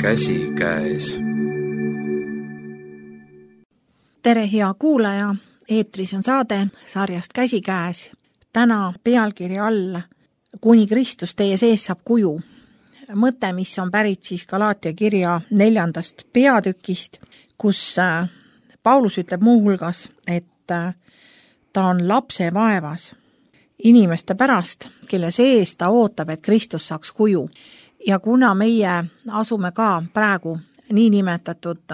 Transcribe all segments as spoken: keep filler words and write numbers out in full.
käsikäes. Tere, hea kuulaja! Eetris on saade sarjast Käsikäes. Täna pealkirja all Kuni Kristus teie sees saab kuju. Mõte, mis on pärit siis Galaatia kirja neljandast peatükist, kus Paulus ütleb muu hulgas, et ta on lapse vaevas inimeste pärast, kelle sees ta ootab, et Kristus saaks kuju. Ja kuna meie asume ka praegu niinimetatud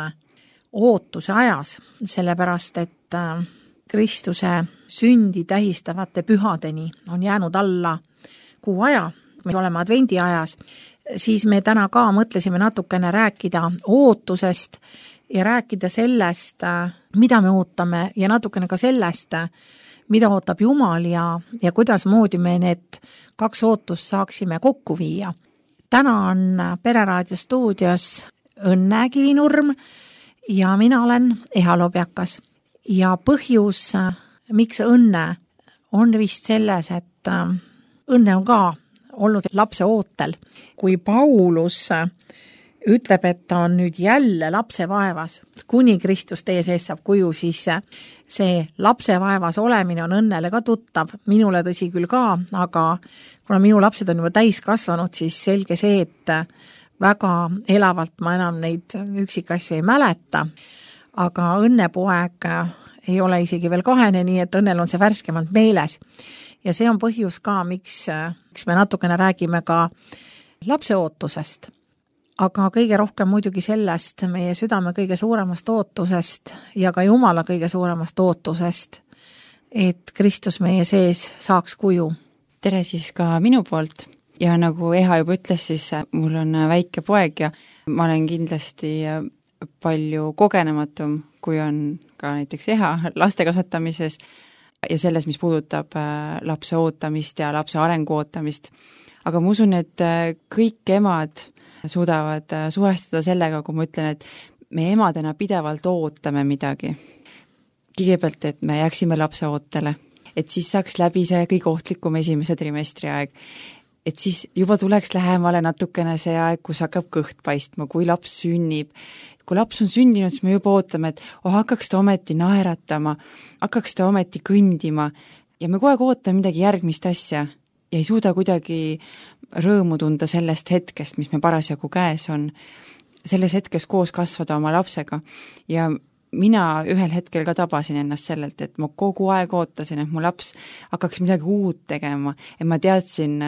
ootuse ajas, sellepärast, et Kristuse sündi tähistavate pühadeni on jäänud alla kuu aja, me oleme advendi ajas, siis me täna ka mõtlesime natukene rääkida ootusest ja rääkida sellest, mida me ootame ja natukene ka sellest, mida ootab Jumal ja, ja kuidas moodi me need kaks ootust saaksime kokku viia. Täna on Pereraadio stuudios Õnne Kivinurm ja mina olen Eha Lobjakas. Ja põhjus, miks õnne, on vist selles, et õnne on ka olnud lapse ootel. Kui Paulus ütleb, et ta on nüüd jälle lapse vaevas, kuni Kristus teie sees saab kuju, siis see lapse vaevas olemine on õnnele ka tuttav. Minule tõsi küll ka, aga kuna minu lapsed on juba täis kasvanud, siis selge see, et väga elavalt ma enam neid üksikasju ei mäleta. Aga õnnepoeg ei ole isegi veel kahene, nii et õnnel on see värskemalt meeles. Ja see on põhjus ka, miks, miks me natukene räägime ka lapse ootusest. Aga kõige rohkem muidugi sellest meie südame kõige suuremast ootusest ja ka Jumala kõige suuremast ootusest, et Kristus meie sees saaks kuju. Tere siis ka minu poolt. Ja nagu Eha juba ütles, siis mul on väike poeg ja ma olen kindlasti palju kogenematum, kui on ka näiteks Eha laste kasvatamises ja selles, mis puudutab lapse ootamist ja lapse arengu ootamist. Aga ma usun, et kõik emad suudavad suhestuda sellega, kui ma ütlen, et me emadena pidevalt ootame midagi. Kõigepealt, et me jääksime lapse ootele, et siis saaks läbi see kõige ohtlikum esimese trimestri aeg. Et siis juba tuleks lähemale natukene see aeg, kus hakkab kõht paistma, kui laps sünnib. Kui laps on sündinud, siis me juba ootame, et oh, hakkaks ta ometi naeratama, hakkaks ta ometi kõndima ja me kogu aeg ootame midagi järgmist asja ja ei suuda kuidagi rõõmu tunda sellest hetkest, mis me parasjagu käes on, selles hetkes koos kasvada oma lapsega. Ja mina ühel hetkel ka tabasin ennast sellelt, et ma kogu aeg ootasin, et mu laps hakkaks midagi uut tegema ja ma teadsin,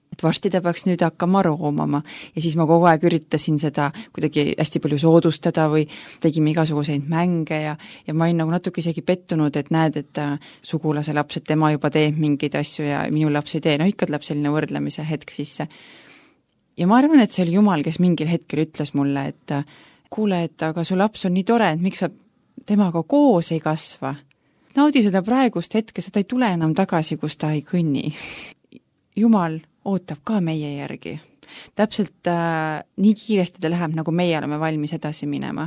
et varsti ta peaks nüüd hakkama roomama ja siis ma kogu aeg üritasin seda kuidagi hästi palju soodustada või tegime igasuguseid mänge ja, ja ma olin nagu natuke isegi pettunud, et näed, et sugulase laps, et tema juba teeb mingeid asju ja minu laps ei tee, no ikka tuleb selline võrdlemise hetk sisse. Ja ma arvan, et see oli Jumal, kes mingil hetkel ütles mulle, et kuule, et aga su laps on nii tore, et miks sa temaga koos ei kasva. Naudi seda praegust hetke, seda ei tule enam tagasi, kus ta ei kõnni. Jumal ootab ka meie järgi. Täpselt äh, nii kiiresti ta läheb, nagu meie oleme valmis edasi minema.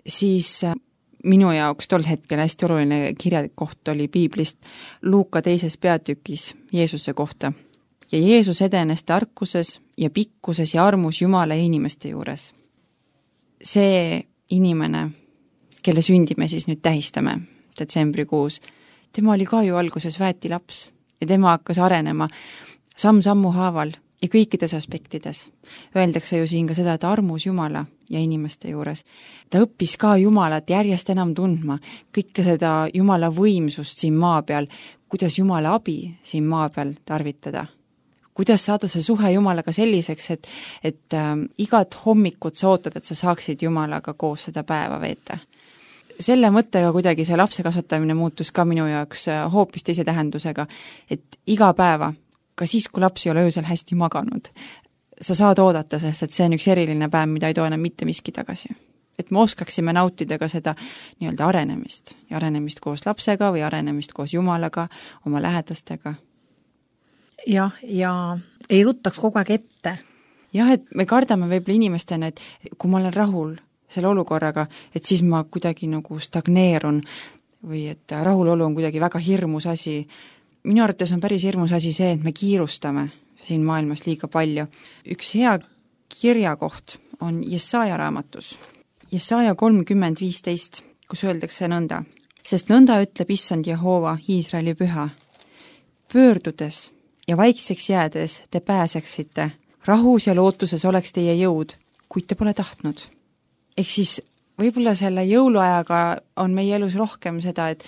Siis äh, minu jaoks tol hetkel hästi oluline kirjakoht oli Piiblist Luuka teises peatükis Jeesuse kohta. Ja Jeesus edenes tarkuses ja pikkuses ja armus Jumala ja inimeste juures. See inimene, kelle sündi me siis nüüd tähistame detsembrikuus, tema oli ka ju alguses väeti laps ja tema hakkas arenema samm-sammu haaval ja kõikides aspektides. Öeldakse ju siin ka seda, et armus Jumala ja inimeste juures. Ta õppis ka Jumalat järjest enam tundma, kõike seda Jumala võimsust siin maa peal, kuidas Jumala abi siin maa peal tarvitada. Kuidas saada see suhe Jumalaga selliseks, et, et äh, igat hommikut sa ootad, et sa saaksid Jumalaga koos seda päeva veeta. Selle mõttega kuidagi see lapse kasvatamine muutus ka minu jaoks hoopis teise tähendusega, et iga päeva, ka siis, kui laps ei ole öösel hästi maganud, sa saad oodata, sest et see on üks eriline päev, mida ei too enam mitte miski tagasi. Et me oskaksime nautida ka seda nii-öelda arenemist ja arenemist koos lapsega või arenemist koos Jumalaga, oma lähedastega. Jah, ja ei ruttaks kogu aeg ette. Jah, et me kardame võib-olla inimestena, et kui ma olen rahul selle olukorraga, et siis ma kuidagi nagu stagneerun või et rahulolu on kuidagi väga hirmus asi. Minu arvates on päris hirmus asi see, et me kiirustame siin maailmas liiga palju. Üks hea kirjakoht on Jesaja raamatus. Jesaja kolmkümmend viisteist, kus öeldakse nõnda. Sest nõnda ütleb issand Jehova, Iisraeli püha. Pöördudes ja vaikseks jäädes te pääseksite. Rahus ja lootuses oleks teie jõud, kuid te pole tahtnud. Ehk siis võib-olla selle jõuluajaga on meie elus rohkem seda, et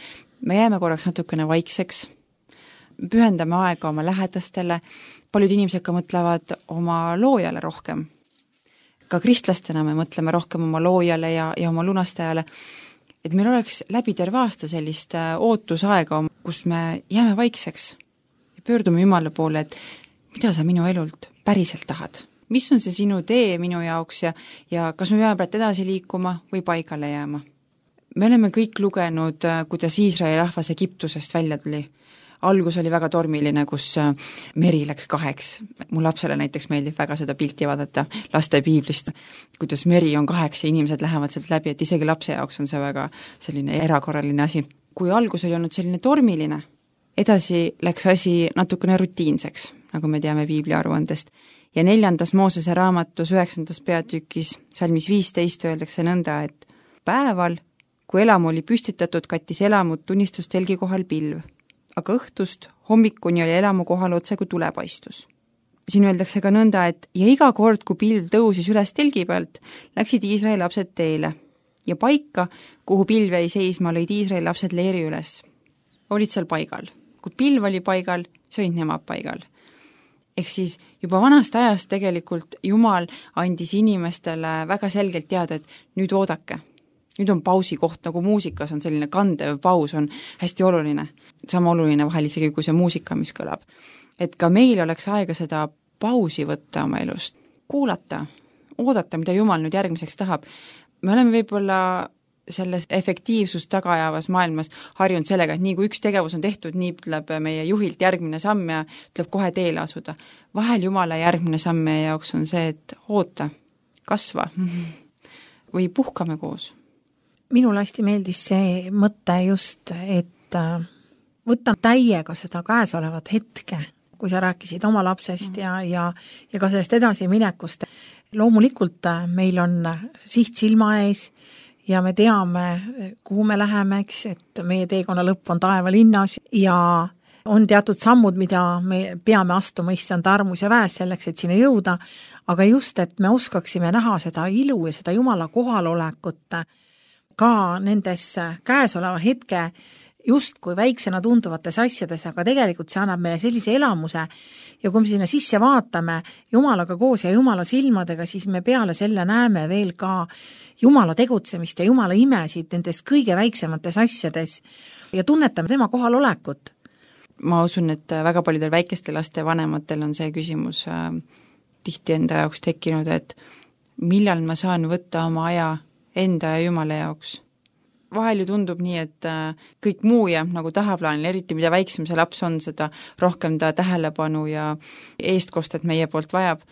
me jääme korraks natukene vaikseks, pühendame aega oma lähedastele, paljud inimesed ka mõtlevad oma loojale rohkem. Ka kristlastena me mõtleme rohkem oma loojale ja, ja oma lunastajale, et meil oleks läbi terve aasta sellist ootusaega, kus me jääme vaikseks ja pöördume Jumala poole, et mida sa minu elult päriselt tahad. Mis on see sinu tee minu jaoks ja, ja kas me peame praegu edasi liikuma või paigale jääma? Me oleme kõik lugenud, kuidas Iisraeli rahvas Egiptusest välja tuli. Algus oli väga tormiline, kus meri läks kaheks. Mu lapsele näiteks meeldib väga seda pilti vaadata laste piiblist, kuidas meri on kaheks ja inimesed lähevad sealt läbi, et isegi lapse jaoks on see väga selline erakorraline asi. Kui algus oli olnud selline tormiline, edasi läks asi natukene rutiinseks, nagu me teame piibli aruandest. Ja neljandas Moosese raamatus üheksandas peatükis salmis viisteist öeldakse nõnda, et päeval, kui elamu oli püstitatud, kattis elamut tunnistustelgi kohal pilv, aga õhtust hommikuni oli elamu kohal otse kui tulepaistus. Siin öeldakse ka nõnda, et ja iga kord, kui pilv tõusis üles telgi pealt, läksid Iisraeli lapsed teele ja paika, kuhu pilv jäi seisma, lõid Iisraeli lapsed leeri üles. Olid seal paigal. Kui pilv oli paigal, see olid nemad paigal. Ehk siis juba vanast ajast tegelikult Jumal andis inimestele väga selgelt teada, et nüüd oodake. Nüüd on pausi koht, nagu muusikas on selline kandev paus, on hästi oluline. Sama oluline vahel isegi kui see muusika, mis kõlab. Et ka meil oleks aega seda pausi võtta oma elust, kuulata, oodata, mida Jumal nüüd järgmiseks tahab. Me oleme võib-olla selles efektiivsust tagajavas maailmas harjunud sellega, et nii kui üks tegevus on tehtud, nii ütleb meie juhilt järgmine samm ja ütleb kohe teele asuda. Vahel Jumala järgmine samm meie jaoks on see, et oota, kasva või puhkame koos. Minule hästi meeldis see mõte just, et võtta täiega seda käesolevat hetke, kui sa rääkisid oma lapsest ja, ja, ja ka sellest edasi minekust. Loomulikult meil on siht silma ees ja me teame, kuhu me läheme, eks, et meie teekonna lõpp on taevalinnas ja on teatud sammud, mida me peame astuma issand armus ja väes selleks, et sinna jõuda, aga just, et me oskaksime näha seda ilu ja seda Jumala kohalolekut ka nendes käesoleva hetke justkui väiksena tunduvates asjades, aga tegelikult see annab meile sellise elamuse ja kui me sinna sisse vaatame Jumalaga koos ja Jumala silmadega, siis me peale selle näeme veel ka Jumala tegutsemist ja Jumala imesid nendes kõige väiksemates asjades ja tunnetame tema kohalolekut. Ma usun, et väga paljudel väikeste laste vanematel on see küsimus äh, tihti enda jaoks tekkinud, et millal ma saan võtta oma aja enda ja Jumala jaoks. Vahel ju tundub nii, et kõik muu jääb nagu tahaplaanil, eriti mida väiksem see laps on, seda rohkem ta tähelepanu ja eestkostet meie poolt vajab.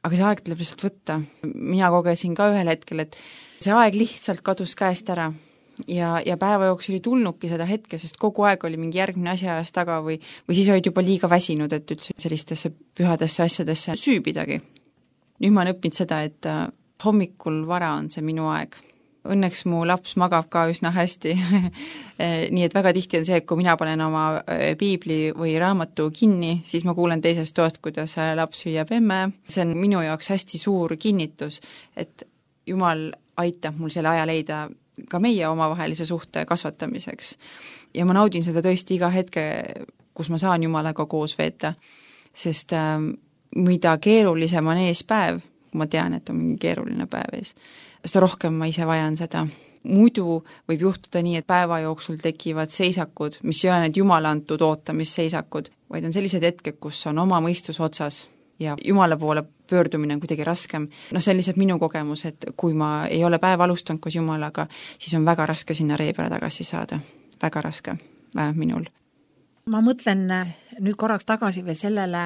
Aga see aeg tuleb lihtsalt võtta. Mina kogesin ka ühel hetkel, et see aeg lihtsalt kadus käest ära ja, ja päeva jooksul ei tulnudki seda hetke, sest kogu aeg oli mingi järgmine asja ajas taga või, või siis olid juba liiga väsinud, et üldse sellistesse pühadesse asjadesse süübidagi. Nüüd ma olen õppinud seda, et hommikul vara on see minu aeg. Õnneks mu laps magab ka üsna hästi, nii et väga tihti on see, et kui mina panen oma piibli või raamatu kinni, siis ma kuulen teisest toast, kuidas laps hüüab emme. See on minu jaoks hästi suur kinnitus, et Jumal aitab mul selle aja leida ka meie omavahelise suhte kasvatamiseks. Ja ma naudin seda tõesti iga hetke, kus ma saan Jumalaga koos veeta, sest äh, mida keerulisem on ees päev, kui ma tean, et on mingi keeruline päev ees, seda rohkem ma ise vajan seda. Muidu võib juhtuda nii, et päeva jooksul tekivad seisakud, mis ei ole need Jumala antud ootamisseisakud, vaid on sellised hetked, kus on oma mõistus otsas ja Jumala poole pöördumine on kuidagi raskem. No see on lihtsalt minu kogemus, et kui ma ei ole päev alustanud koos Jumalaga, siis on väga raske sinna ree peale tagasi saada. Väga raske, vähemalt minul. Ma mõtlen nüüd korraks tagasi veel sellele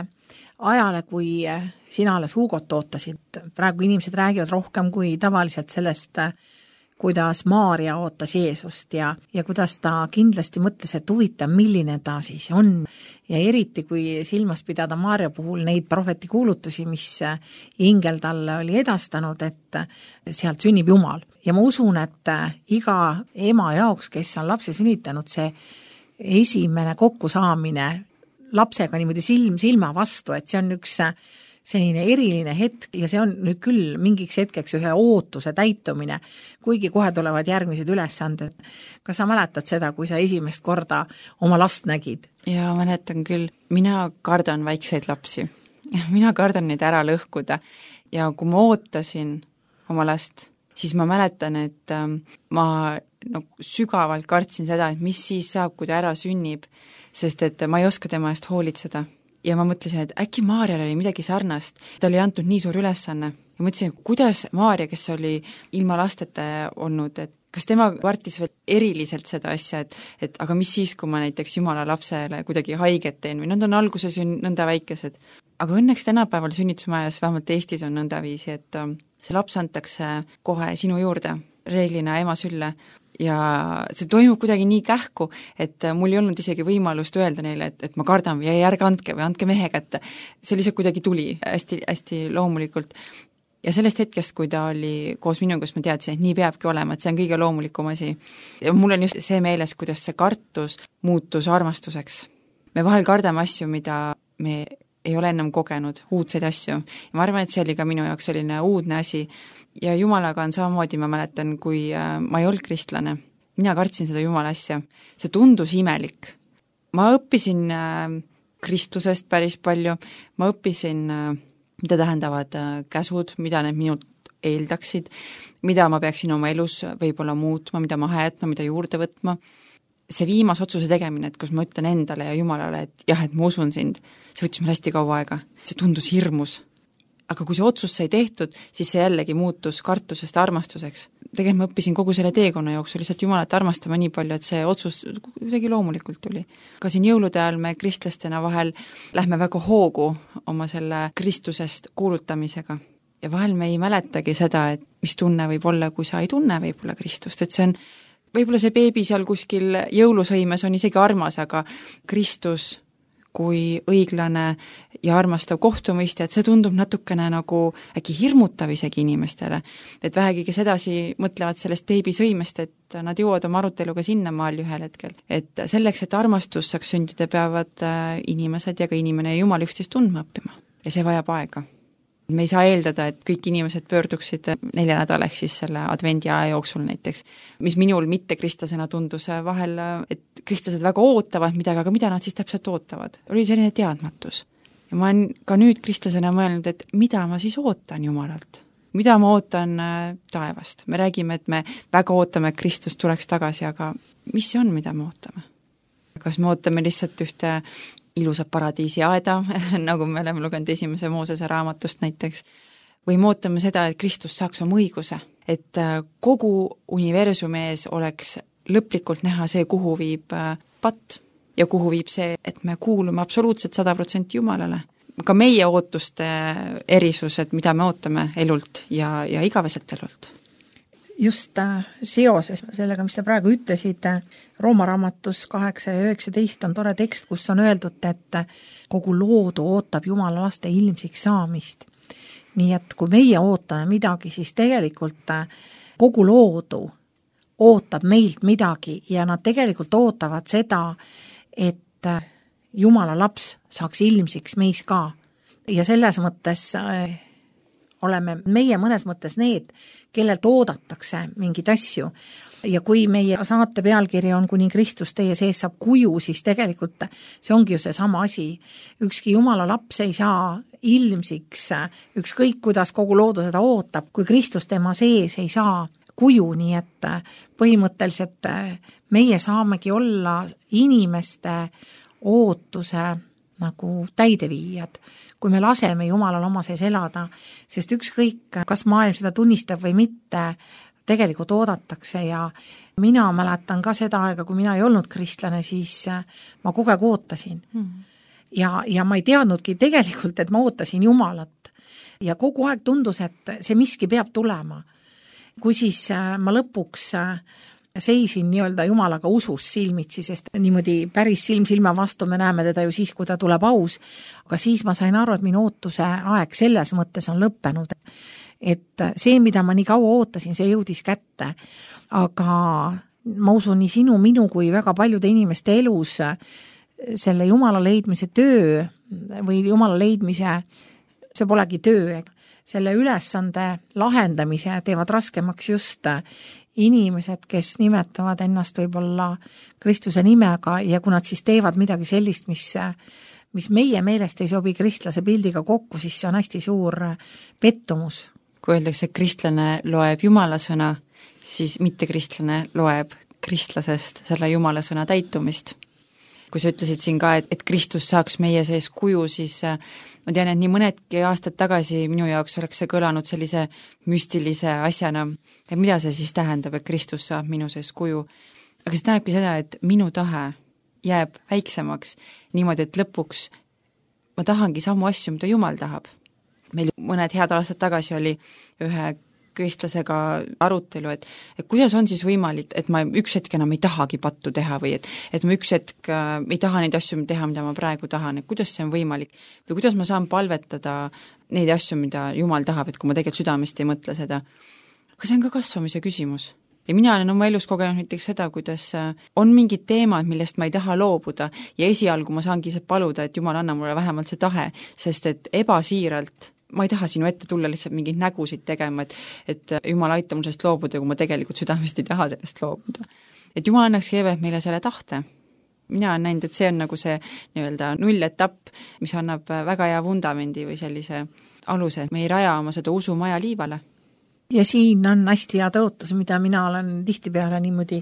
ajale, kui sina alles Hugot ootasid. Praegu inimesed räägivad rohkem kui tavaliselt sellest, kuidas Maarja ootas Jeesust ja, ja kuidas ta kindlasti mõtles, et huvitav, milline ta siis on. Ja eriti, kui silmas pidada Maarja puhul neid prohveti kuulutusi, mis ingel talle oli edastanud, et sealt sünnib Jumal. Ja ma usun, et iga ema jaoks, kes on lapse sünnitanud, see esimene kokkusaamine lapsega niimoodi silm silma vastu, et see on üks selline eriline hetk ja see on nüüd küll mingiks hetkeks ühe ootuse täitumine, kuigi kohe tulevad järgmised ülesanded. Kas sa mäletad seda, kui sa esimest korda oma last nägid? Jaa, mäletan küll. Mina kardan väikseid lapsi. Mina kardan neid ära lõhkuda ja kui ma ootasin oma last, siis ma mäletan, et ma no, sügavalt kartsin seda, et mis siis saab, kui ta ära sünnib, sest et ma ei oska tema eest hoolitseda. Ja ma mõtlesin, et äkki Maarjal oli midagi sarnast, ta oli antud nii suur ülesanne. Ja mõtlesin, kuidas Maarja, kes oli ilma lasteta olnud, et kas tema vartis veel eriliselt seda asja, et, et aga mis siis, kui ma näiteks Jumala lapsele kuidagi haiget teen või nad on alguses ju nõnda väikesed. Aga õnneks tänapäeval sünnitusmajas, vähemalt Eestis on nõnda viisi, et see laps antakse kohe sinu juurde, reeglina ema sülle, ja see toimub kuidagi nii kähku, et mul ei olnud isegi võimalust öelda neile, et, et ma kardan või järge andke või andke mehe kätte. See lihtsalt kuidagi tuli hästi, hästi loomulikult. Ja sellest hetkest, kui ta oli koos minuga, kus ma teadsin, et nii peabki olema, et see on kõige loomulikum asi. Ja mul on just see meeles, kuidas see kartus muutus armastuseks. Me vahel kardame asju, mida me ei ole ennem kogenud, uudseid asju. Ja ma arvan, et see oli ka minu jaoks selline uudne asi. Ja Jumalaga on samamoodi, ma mäletan, kui ma ei olnud kristlane. Mina kartsin seda Jumala asja. See tundus imelik. Ma õppisin kristlusest päris palju. Ma õppisin, mida tähendavad käsud, mida need minult eeldaksid, mida ma peaksin oma elus võib-olla muutma, mida maha jätma, mida juurde võtma. See viimas otsuse tegemine, et kus ma ütlen endale ja Jumalale, et jah, et ma usun sind, see võttis mul hästi kaua aega. See tundus hirmus. Aga kui see otsus sai tehtud, siis see jällegi muutus kartusest armastuseks. Tegelikult ma õppisin kogu selle teekonna jooksul lihtsalt Jumalat armastama nii palju, et see otsus kuidagi loomulikult tuli. Ka siin jõulude ajal me kristlastena vahel lähme väga hoogu oma selle Kristusest kuulutamisega. Ja vahel me ei mäletagi seda, et mis tunne võib olla, kui sa ei tunne võib-olla Kristust, et see on võib-olla see beebi seal kuskil jõulusõimes on isegi armas, aga Kristus kui õiglane ja armastav kohtumõistja, et see tundub natukene nagu äkki hirmutav isegi inimestele. Et vähegi, kes edasi mõtlevad sellest beebisõimest, et nad jõuavad oma aruteluga sinna maal ühel hetkel. Et selleks, et armastus saaks sündida, peavad inimesed ja ka inimene ja Jumal üksteist tundma õppima. Ja see vajab aega. Me ei saa eeldada, et kõik inimesed pöörduksid nelja nädal ehk siis selle advendi aja jooksul näiteks, mis minul mitte kristlasena tundus vahel, et kristlased väga ootavad midagi, aga mida nad siis täpselt ootavad? Oli selline teadmatus. Ja ma olen ka nüüd kristlasena mõelnud, et mida ma siis ootan Jumalalt? Mida ma ootan taevast? Me räägime, et me väga ootame, et Kristus tuleks tagasi, aga mis see on, mida me ootame? Kas me ootame lihtsalt ühte ilusat paradiisi aeda, nagu me oleme lugenud esimese Moosese raamatust näiteks, või me ootame seda, et Kristus saaks oma õiguse, et kogu universumi ees oleks lõplikult näha see, kuhu viib patt ja kuhu viib see, et me kuulume absoluutselt sada protsenti Jumalale. Ka meie ootuste erisused, mida me ootame elult ja, ja igaveselt elult. Just seoses sellega, mis sa praegu ütlesid, Rooma raamatus kaheksa ja üheksateist on tore tekst, kus on öeldud, et kogu loodu ootab Jumala laste ilmsiks saamist. Nii et kui meie ootame midagi, siis tegelikult kogu loodu ootab meilt midagi ja nad tegelikult ootavad seda, et Jumala laps saaks ilmsiks meis ka. Ja selles mõttes oleme meie mõnes mõttes need, kellelt oodatakse mingid asju. Ja kui meie saate pealkiri on Kuni Kristus teie sees saab kuju, siis tegelikult see ongi ju see sama asi. Ükski Jumala laps ei saa ilmsiks, ükskõik kuidas kogu loodu seda ootab, kui Kristus tema sees ei saa kuju, nii et põhimõtteliselt meie saamegi olla inimeste ootuse nagu täideviijad, kui me laseme Jumalal oma sees elada, sest ükskõik, kas maailm seda tunnistab või mitte, tegelikult oodatakse ja mina mäletan ka seda aega, kui mina ei olnud kristlane, siis ma kogu aeg ootasin. Hmm. Ja, ja ma ei teadnudki tegelikult, et ma ootasin Jumalat. Ja kogu aeg tundus, et see miski peab tulema. kui siis ma lõpuks seisin nii-öelda Jumalaga usus silmitsi, sest niimoodi päris silm silma vastu me näeme teda ju siis, kui ta tuleb aus, aga siis ma sain aru, et minu ootuse aeg selles mõttes on lõppenud. Et see, mida ma nii kaua ootasin, see jõudis kätte, aga ma usun nii sinu, minu kui väga paljude inimeste elus selle Jumala leidmise töö või Jumala leidmise, see polegi töö, selle ülesande lahendamise teevad raskemaks just inimesed, kes nimetavad ennast võib-olla Kristuse nimega ja kui nad siis teevad midagi sellist, mis, mis meie meelest ei sobi kristlase pildiga kokku, siis see on hästi suur pettumus. Kui öeldakse, et kristlane loeb Jumala sõna, siis mitte kristlane loeb kristlasest selle Jumala sõna täitumist. Kui sa ütlesid siin ka, et, et Kristus saaks meie sees kuju, siis ma tean, et nii mõnedki aastad tagasi minu jaoks oleks see kõlanud sellise müstilise asjana, et mida see siis tähendab, et Kristus saab minu sees kuju. Aga see tähendabki seda, et minu tahe jääb väiksemaks niimoodi, et lõpuks ma tahangi samu asju, mida Jumal tahab. Meil mõned head aastad tagasi oli ühe kristlasega arutelu, et, et kuidas on siis võimalik, et ma üks hetk enam ei tahagi pattu teha või et, et ma üks hetk äh, ei taha neid asju teha, mida ma praegu tahan, et kuidas see on võimalik või kuidas ma saan palvetada neid asju, mida Jumal tahab, et kui ma tegelikult südamest ei mõtle seda. Aga see on ka kasvamise küsimus. Ja mina olen oma elus kogenud näiteks seda, kuidas on mingid teemad, millest ma ei taha loobuda ja esialgu ma saangi paluda, et Jumal anna mulle vähemalt see tahe, sest et ebasiiralt ma ei taha sinu ette tulla lihtsalt mingeid nägusid tegema, et, et Jumal aita mul sellest loobuda, kui ma tegelikult südamest ei taha sellest loobuda. Et Jumal annaks keevelt meile selle tahte. Mina olen näinud, et see on nagu see nii-öelda nulletapp, mis annab väga hea vundamendi või sellise aluse, et me ei raja oma seda usumaja liivale. Ja siin on hästi hea tõotus, mida mina olen tihtipeale niimoodi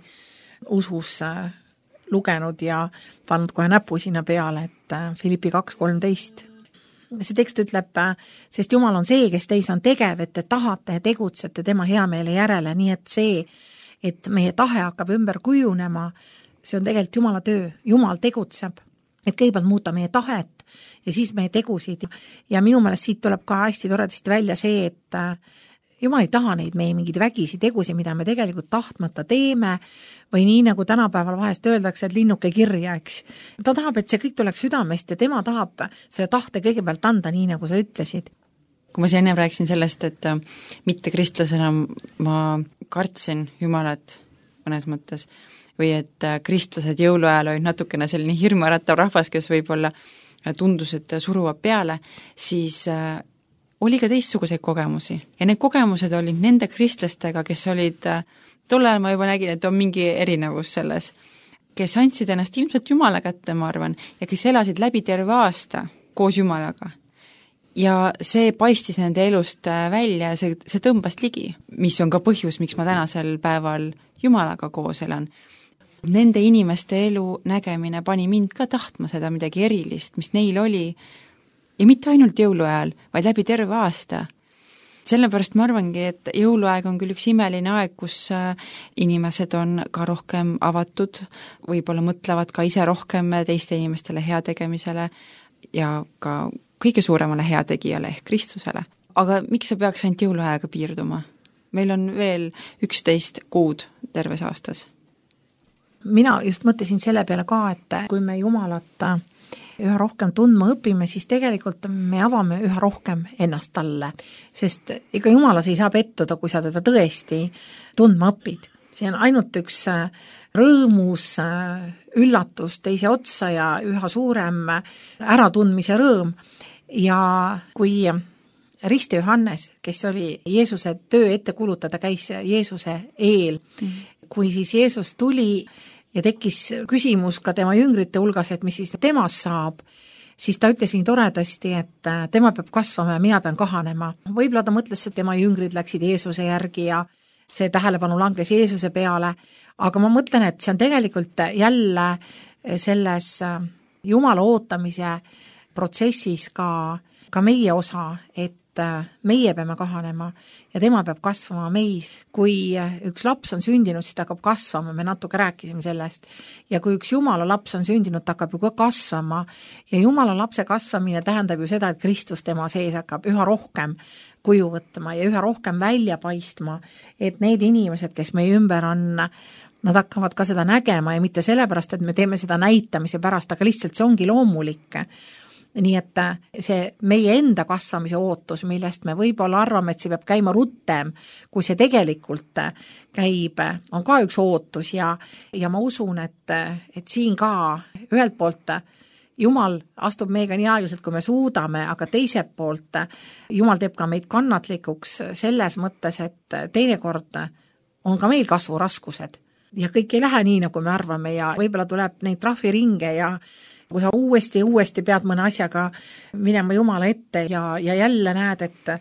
usus lugenud ja pannud kohe näpu sinna peale, et Filippi kaks kolmteist. See tekst ütleb, sest Jumal on see, kes teis on tegev, et te tahate ja tegutsete tema heameele järele, nii et see, et meie tahe hakkab ümber kujunema, see on tegelikult Jumala töö. Jumal tegutseb, et kõigepealt muuta meie tahet ja siis meie tegusid. Ja minu meelest siit tuleb ka hästi toredasti välja see, et Jumal ei taha neid meie mingid vägisi tegusi, mida me tegelikult tahtmata teeme või nii nagu tänapäeval vahest öeldakse, et linnuke kirja, eks. Ta tahab, et see kõik tuleks südamest ja tema tahab selle tahte kõigepealt anda, nii nagu sa ütlesid. Kui ma siin enne rääkisin sellest, et mitte kristlasena ma kartsin Jumalat mõnes mõttes või et kristlased jõuluajal olid natukene selline hirmuäratav rahvas, kes võib-olla tundus, et suruvad peale, siis oli ka teistsuguseid kogemusi ja need kogemused olid nende kristlastega, kes olid, tol ajal ma juba nägin, et on mingi erinevus selles, kes andsid ennast ilmselt Jumala kätte, ma arvan, ja kes elasid läbi terve aasta koos Jumalaga. Ja see paistis nende elust välja ja see, see tõmbas ligi, mis on ka põhjus, miks ma tänasel päeval Jumalaga koos elan. Nende inimeste elu nägemine pani mind ka tahtma seda midagi erilist, mis neil oli, ja mitte ainult jõuluajal, vaid läbi terve aasta. Sellepärast ma arvangi, et jõuluaeg on küll üks imeline aeg, kus inimesed on ka rohkem avatud, võib-olla mõtlevad ka ise rohkem teiste inimestele heategemisele ja ka kõige suuremale heategijale ehk Kristusele. Aga miks see peaks ainult jõuluajaga piirduma? Meil on veel üksteist kuud terves aastas. Mina just mõtlesin selle peale ka, et kui me Jumalat üha rohkem tundma õpime, siis tegelikult me avame üha rohkem ennast talle, sest ega Jumalas ei saa pettuda, kui sa teda tõesti tundma õpid. See on ainult üks rõõmus üllatus teise otsa ja üha suurem äratundmise rõõm. Ja kui Rist Johannes, kes oli Jeesuse töö ette kulutada, käis Jeesuse eel, mm. kui siis Jeesus tuli ja tekkis küsimus ka tema jüngrite hulgas, et mis siis temast saab, siis ta ütles nii toredasti, et tema peab kasvama ja mina pean kahanema. Võib-olla ta mõtles, et tema jüngrid läksid Jeesuse järgi ja see tähelepanu langes Jeesuse peale, aga ma mõtlen, et see on tegelikult jälle selles Jumala ootamise protsessis ka, ka meie osa, et meie peame kahanema ja tema peab kasvama meis. Kui üks laps on sündinud, siis ta hakkab kasvama, me natuke rääkisime sellest. Ja kui üks Jumala laps on sündinud, ta hakkab ju ka kasvama. Ja Jumala lapse kasvamine tähendab ju seda, et Kristus tema sees hakkab üha rohkem kuju võtma ja üha rohkem välja paistma, et need inimesed, kes meie ümber on, nad hakkavad ka seda nägema ja mitte sellepärast, et me teeme seda näitamise pärast, aga lihtsalt see ongi loomulik. Nii et see meie enda kasvamise ootus, millest me võib-olla arvame, et see peab käima rutem, kui see tegelikult käib, on ka üks ootus ja, ja ma usun, et, et siin ka ühelt poolt Jumal astub meiega nii aeglaselt, kui me suudame, aga teiselt poolt Jumal teeb ka meid kannatlikuks selles mõttes, et teinekord on ka meil kasvuraskused ja kõik ei lähe nii, nagu me arvame ja võib-olla tuleb neid trahviringe ja kui sa uuesti, uuesti pead mõne asjaga minema Jumala ette ja, ja jälle näed, et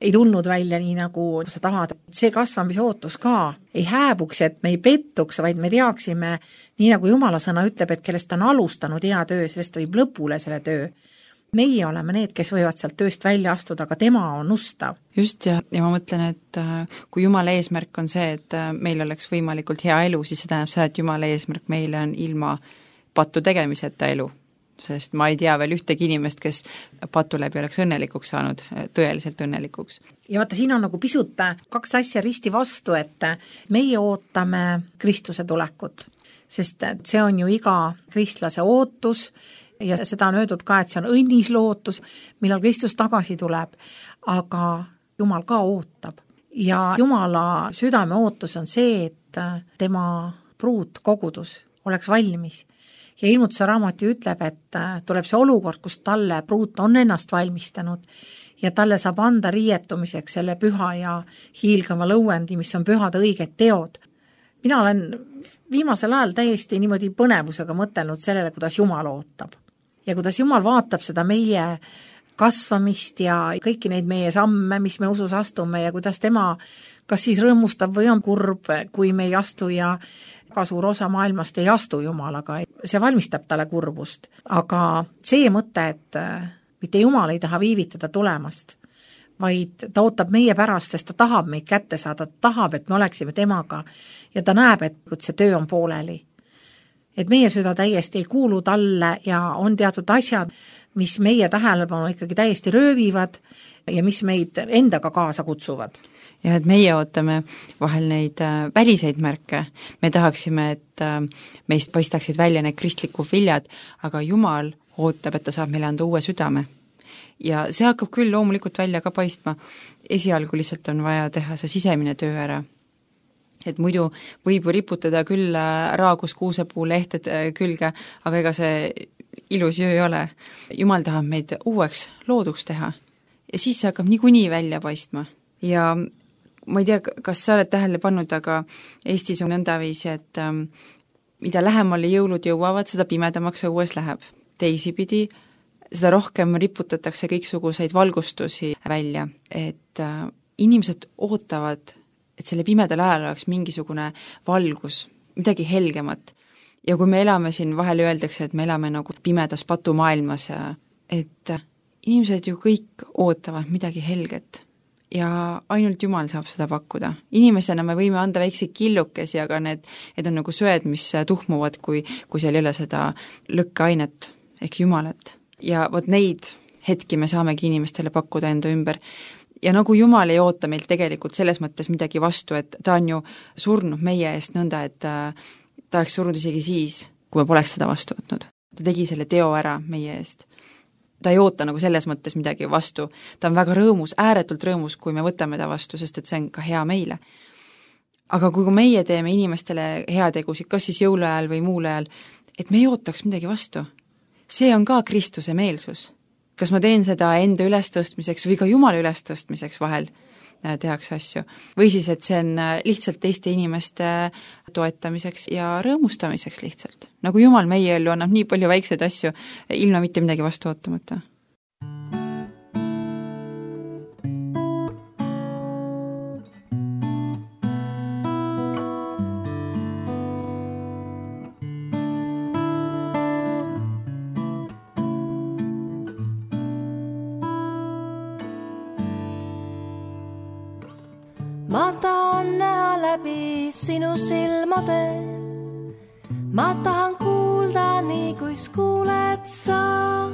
ei tulnud välja nii, nagu sa tahad. See kasvamise ootus ka ei hääbuks, et me ei pettuks, vaid me teaksime, nii nagu Jumala sõna ütleb, et kellest on alustanud hea töö, sellest võib lõpule selle töö. Meie oleme need, kes võivad sealt tööst välja astuda, aga tema on ustav. Just ja, ja ma mõtlen, et kui Jumala eesmärk on see, et meil oleks võimalikult hea elu, siis see tähendab seda, et Jumala eesmärk meile on ilma patu tegemiseta elu, sest ma ei tea veel ühtegi inimest, kes patu läbi oleks õnnelikuks saanud, tõeliselt õnnelikuks. Ja vaata, siin on nagu pisut kaks asja risti vastu, et meie ootame Kristuse tulekut, sest see on ju iga kristlase ootus ja seda on öeldud ka, et see on õnnis lootus, millal Kristus tagasi tuleb, aga Jumal ka ootab. Ja Jumala südame ootus on see, et tema pruut kogudus oleks valmis. Ja ilmutuse raamat ju ütleb, et tuleb see olukord, kus talle pruut on ennast valmistanud ja talle saab anda riietumiseks selle püha ja hiilgava lõuendi, mis on pühade õiged teod. Mina olen viimasel ajal täiesti niimoodi põnevusega mõtelnud sellele, kuidas Jumal ootab. Ja kuidas Jumal vaatab seda meie kasvamist ja kõiki neid meie samme, mis me usus astume ja kuidas tema kas siis rõõmustab või on kurb, kui me ei astu ja ka suur osa maailmast ei astu Jumalaga. See valmistab talle kurbust. Aga see mõte, et mitte Jumal ei taha viivitada tulemast, vaid ta ootab meie pärast, sest ta tahab meid kätte saada, ta tahab, et me oleksime temaga ja ta näeb, et see töö on pooleli. Et meie süda täiesti ei kuulu talle ja on teatud asjad, mis meie tähelepanu ikkagi täiesti röövivad ja mis meid endaga kaasa kutsuvad. Ja et meie ootame vahel neid äh, väliseid märke, me tahaksime, et äh, meist paistaksid välja need kristlikud viljad, aga Jumal ootab, et ta saab meile anda uue südame. Ja see hakkab küll loomulikult välja ka paistma, esialgu lihtsalt on vaja teha see sisemine töö ära. Et muidu võib ju riputada küll raagus kuusepuu lehted külge, aga ega see ilus ju ei ole. Jumal tahab meid uueks looduks teha ja siis see hakkab niikuinii välja paistma. Ja ma ei tea, kas sa oled tähele pannud, aga Eestis on nõndaviisi, et ähm, mida lähemale jõulud jõuavad, seda pimedamaks õues läheb. Teisipidi, seda rohkem riputatakse kõiksuguseid valgustusi välja, et äh, inimesed ootavad, et selle pimedal ajal oleks mingisugune valgus, midagi helgemat. Ja kui me elame siin, vahel öeldakse, et me elame nagu pimedas patumaailmas, et inimesed ju kõik ootavad midagi helget ja ainult Jumal saab seda pakkuda. Inimesena me võime anda väikseid killukesi, aga need, need on nagu söed, mis tuhmuvad, kui, kui seal ei ole seda lõkkeainet ehk Jumalat. Ja vot neid hetki me saamegi inimestele pakkuda enda ümber. Ja nagu Jumal ei oota meilt tegelikult selles mõttes midagi vastu, et ta on ju surnud meie eest nõnda, et ta oleks surnud isegi siis, kui me poleks seda vastu võtnud. Ta tegi selle teo ära meie eest. Ta ei oota nagu selles mõttes midagi vastu. Ta on väga rõõmus, ääretult rõõmus, kui me võtame ta vastu, sest et see on ka hea meile. Aga kui meie teeme inimestele heategusid, kas siis jõuluajal või muul ajal, et me ei ootaks midagi vastu. See on ka Kristuse meelsus. Kas ma teen seda enda ülestõstmiseks või ka Jumala ülestõstmiseks vahel tehakse asju. Või siis, et see on lihtsalt teiste inimeste toetamiseks ja rõõmustamiseks lihtsalt. Nagu Jumal meie ellu annab nii palju väikseid asju, ilma mitte midagi vastu ootamata. ma tahan näha läbi sinu silmade, ma tahan kuulda nii, kuis kuuled sa.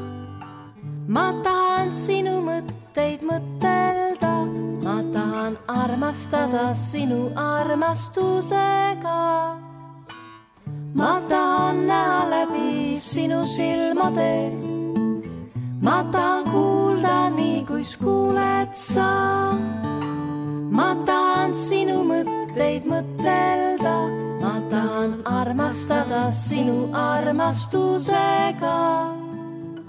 Ma tahan sinu mõtteid mõtelda, ma tahan armastada sinu armastusega. Ma tahan näha läbi sinu silmade, ma tahan kuulda nii, kuis kuuled sa. Ma tahan sinu mõtteid mõtelda, ma tahan armastada sinu armastusega.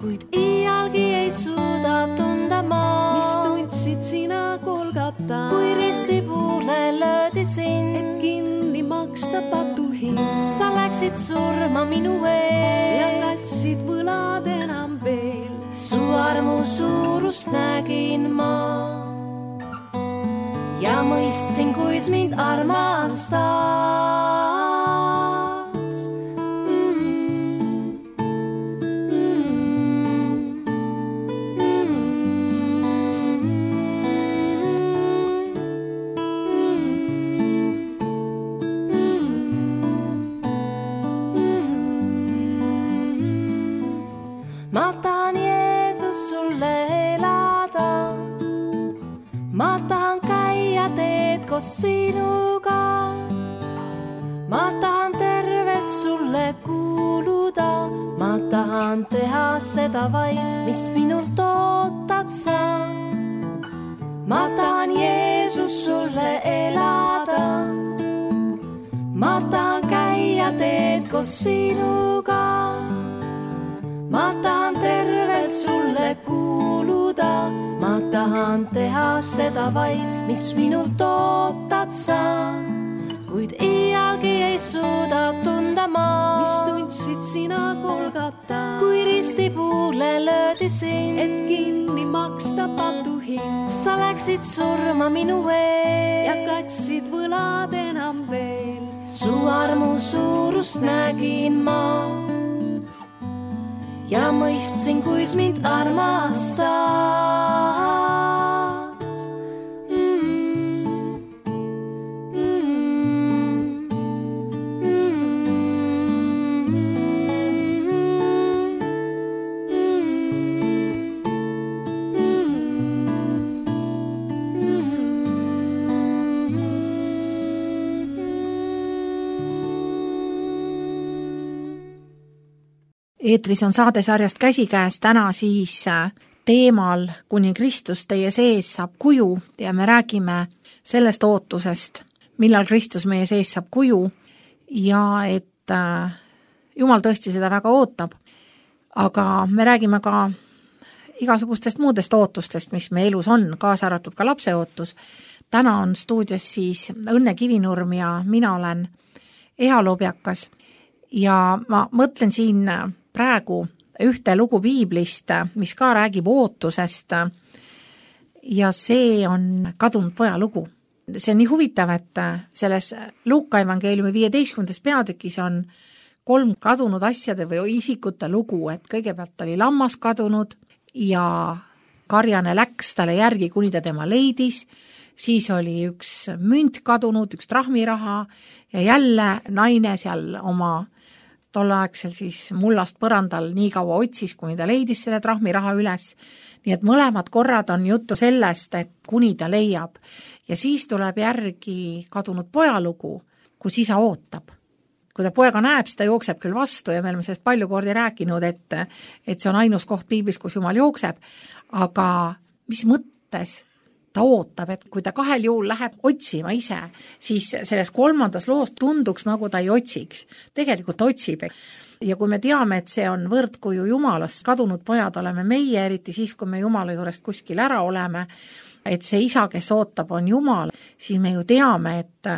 Kuid iialgi ei suuda tunda ma, mis tundsid sina Golgata, kui ristipuule löödi sind, et kinni maksta patuhind. Sa läksid surma minu ees ja katsid võlad enam veel. Su armu suurust nägin ma ja mõistsin, kuis mind armastad. Ma tahan Jeesus sulle elada, ma tahan käia teed koos sinuga, ma tahan tervelt sulle kuuluda, ma tahan teha seda vaid, mis minult ootad sa. Ma tahan Jeesus sulle elada, ma tahan käia teed koos sinuga, ma tahan tervelt sulle kuuluda, ma tahan teha seda vaid, mis minult ootad sa. Kuid iialgi ei suuda tunda ma, mis tundsid sina Golgata, kui ristipuule löödi sind, et kinni maksta patuhind. Sa läksid surma minu ees ja katsid võlad enam veel. Su armu suurust nägin ma ja mõistsin, kuis mind armastad. Eetris on saadesarjast Käsikäes täna siis teemal Kuni Kristus teie sees saab kuju ja me räägime sellest ootusest, millal Kristus meie sees saab kuju ja et Jumal tõesti seda väga ootab. Aga me räägime ka igasugustest muudest ootustest, mis me elus on, kaasa arvatud ka lapse ootus. Täna on stuudios siis Õnne Kivinurm ja mina olen Eha Lobjakas ja ma mõtlen siin praegu ühte lugu piiblist, mis ka räägib ootusest ja see on kadunud poja lugu. See on nii huvitav, et selles Luuka evangeeliumi viieteistkümnendas peatükis on kolm kadunud asjade või isikute lugu, et kõigepealt oli lammas kadunud ja karjane läks talle järgi, kuni ta tema leidis, siis oli üks münt kadunud, üks trahmiraha ja jälle naine seal oma tolleaegsel siis mullast põrandal nii kaua otsis, kuni ta leidis selle trahmiraha üles. Nii et mõlemad korrad on juttu sellest, et kuni ta leiab. Ja siis tuleb järgi kadunud pojalugu, kus isa ootab. Kui ta poega näeb, siis ta jookseb küll vastu ja me oleme sellest palju kordi rääkinud, et, et see on ainus koht piiblis, kus Jumal jookseb. Aga mis mõttes ta ootab, et kui ta kahel juhul läheb otsima ise, siis selles kolmandas loos tunduks, nagu ta ei otsiks. Tegelikult ta otsib. Ja kui me teame, et see on võrdkuju Jumalast, kadunud pojad oleme meie, eriti siis, kui me Jumala juurest kuskil ära oleme, et see isa, kes ootab, on Jumal, siis me ju teame, et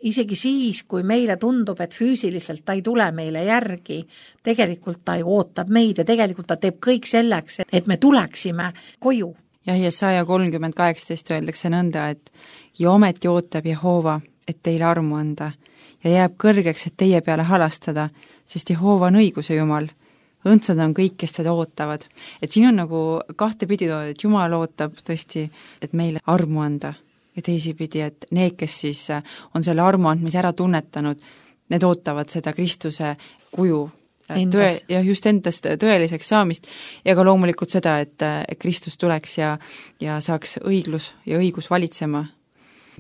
isegi siis, kui meile tundub, et füüsiliselt ta ei tule meile järgi, tegelikult ta ju ootab meid ja tegelikult ta teeb kõik selleks, et me tuleksime koju. Jah, ja saja kolmkümmend kaheksateist öeldakse nõnda, et ja ometi ootab Jehoova, et teile armu anda ja jääb kõrgeks, et teie peale halastada, sest Jehoova on õiguse Jumal. Õndsad on kõik, kes teda ootavad. Et siin on nagu kahte pidi toodud, et Jumal ootab tõesti, et meile armu anda. Ja ja teisipidi, et need, kes siis on selle armu andmise ära tunnetanud, need ootavad seda Kristuse kuju tõe, ja just endast tõeliseks saamist ja ka loomulikult seda, et Kristus tuleks ja, ja saaks õiglus ja õigus valitsema.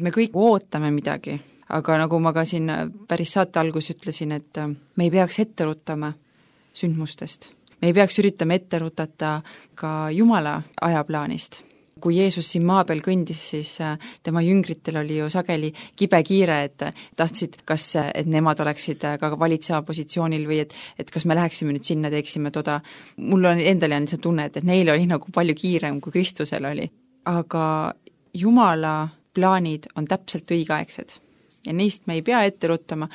Me kõik ootame midagi, aga nagu ma ka siin päris saate algus ütlesin, et me ei peaks ette rutama sündmustest. Me ei peaks üritama ette rutata ka Jumala ajaplaanist. Kui Jeesus siin maa peal kõndis, siis tema jüngritel oli ju sageli kibe kiire, et tahtsid, kas, et nemad oleksid ka valitseva positsioonil või et, et kas me läheksime nüüd sinna, teeksime toda. Mul on endal jäänud see tunne, et, et neil oli nagu palju kiirem, kui Kristusel oli. Aga Jumala plaanid on täpselt õigeaegsed ja neist me ei pea ette ruttama,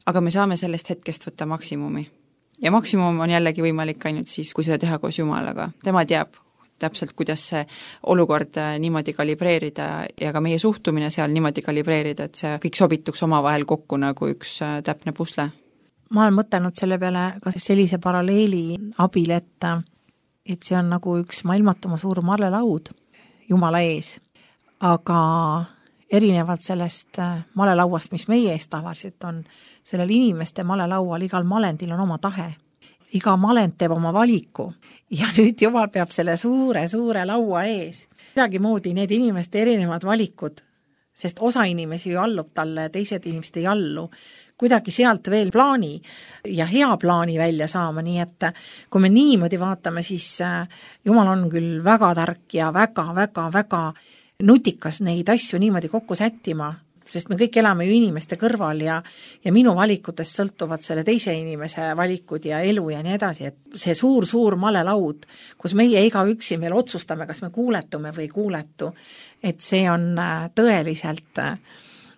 aga me saame sellest hetkest võtta maksimumi. Ja maksimum on jällegi võimalik ainult siis, kui seda teha koos Jumalaga. Tema teab täpselt, kuidas see olukord niimoodi kalibreerida ja ka meie suhtumine seal niimoodi kalibreerida, et see kõik sobituks omavahel kokku nagu üks täpne pusle. Ma olen mõtelnud selle peale ka sellise paralleeli abil, et, et see on nagu üks maailmatuma suur malelaud Jumala ees, aga erinevalt sellest malelauast, mis meie ees tavaliselt on, sellel inimeste malelaual igal malendil on oma tahe. Iga malend teeb oma valiku ja nüüd Jumal peab selle suure, suure laua ees. Midagi moodi need inimeste erinevad valikud, sest osa inimesi ju allub talle, teised inimesed ei allu, kuidagi sealt veel plaani ja hea plaani välja saama, nii et kui me niimoodi vaatame, siis Jumal on küll väga tark ja väga, väga, väga nutikas neid asju niimoodi kokku sättima, sest me kõik elame ju inimeste kõrval ja, ja minu valikutest sõltuvad selle teise inimese valikud ja elu ja nii edasi, et see suur, suur malelaud, kus meie iga üksi meil otsustame, kas me kuuletume või ei kuuletu, et see on tõeliselt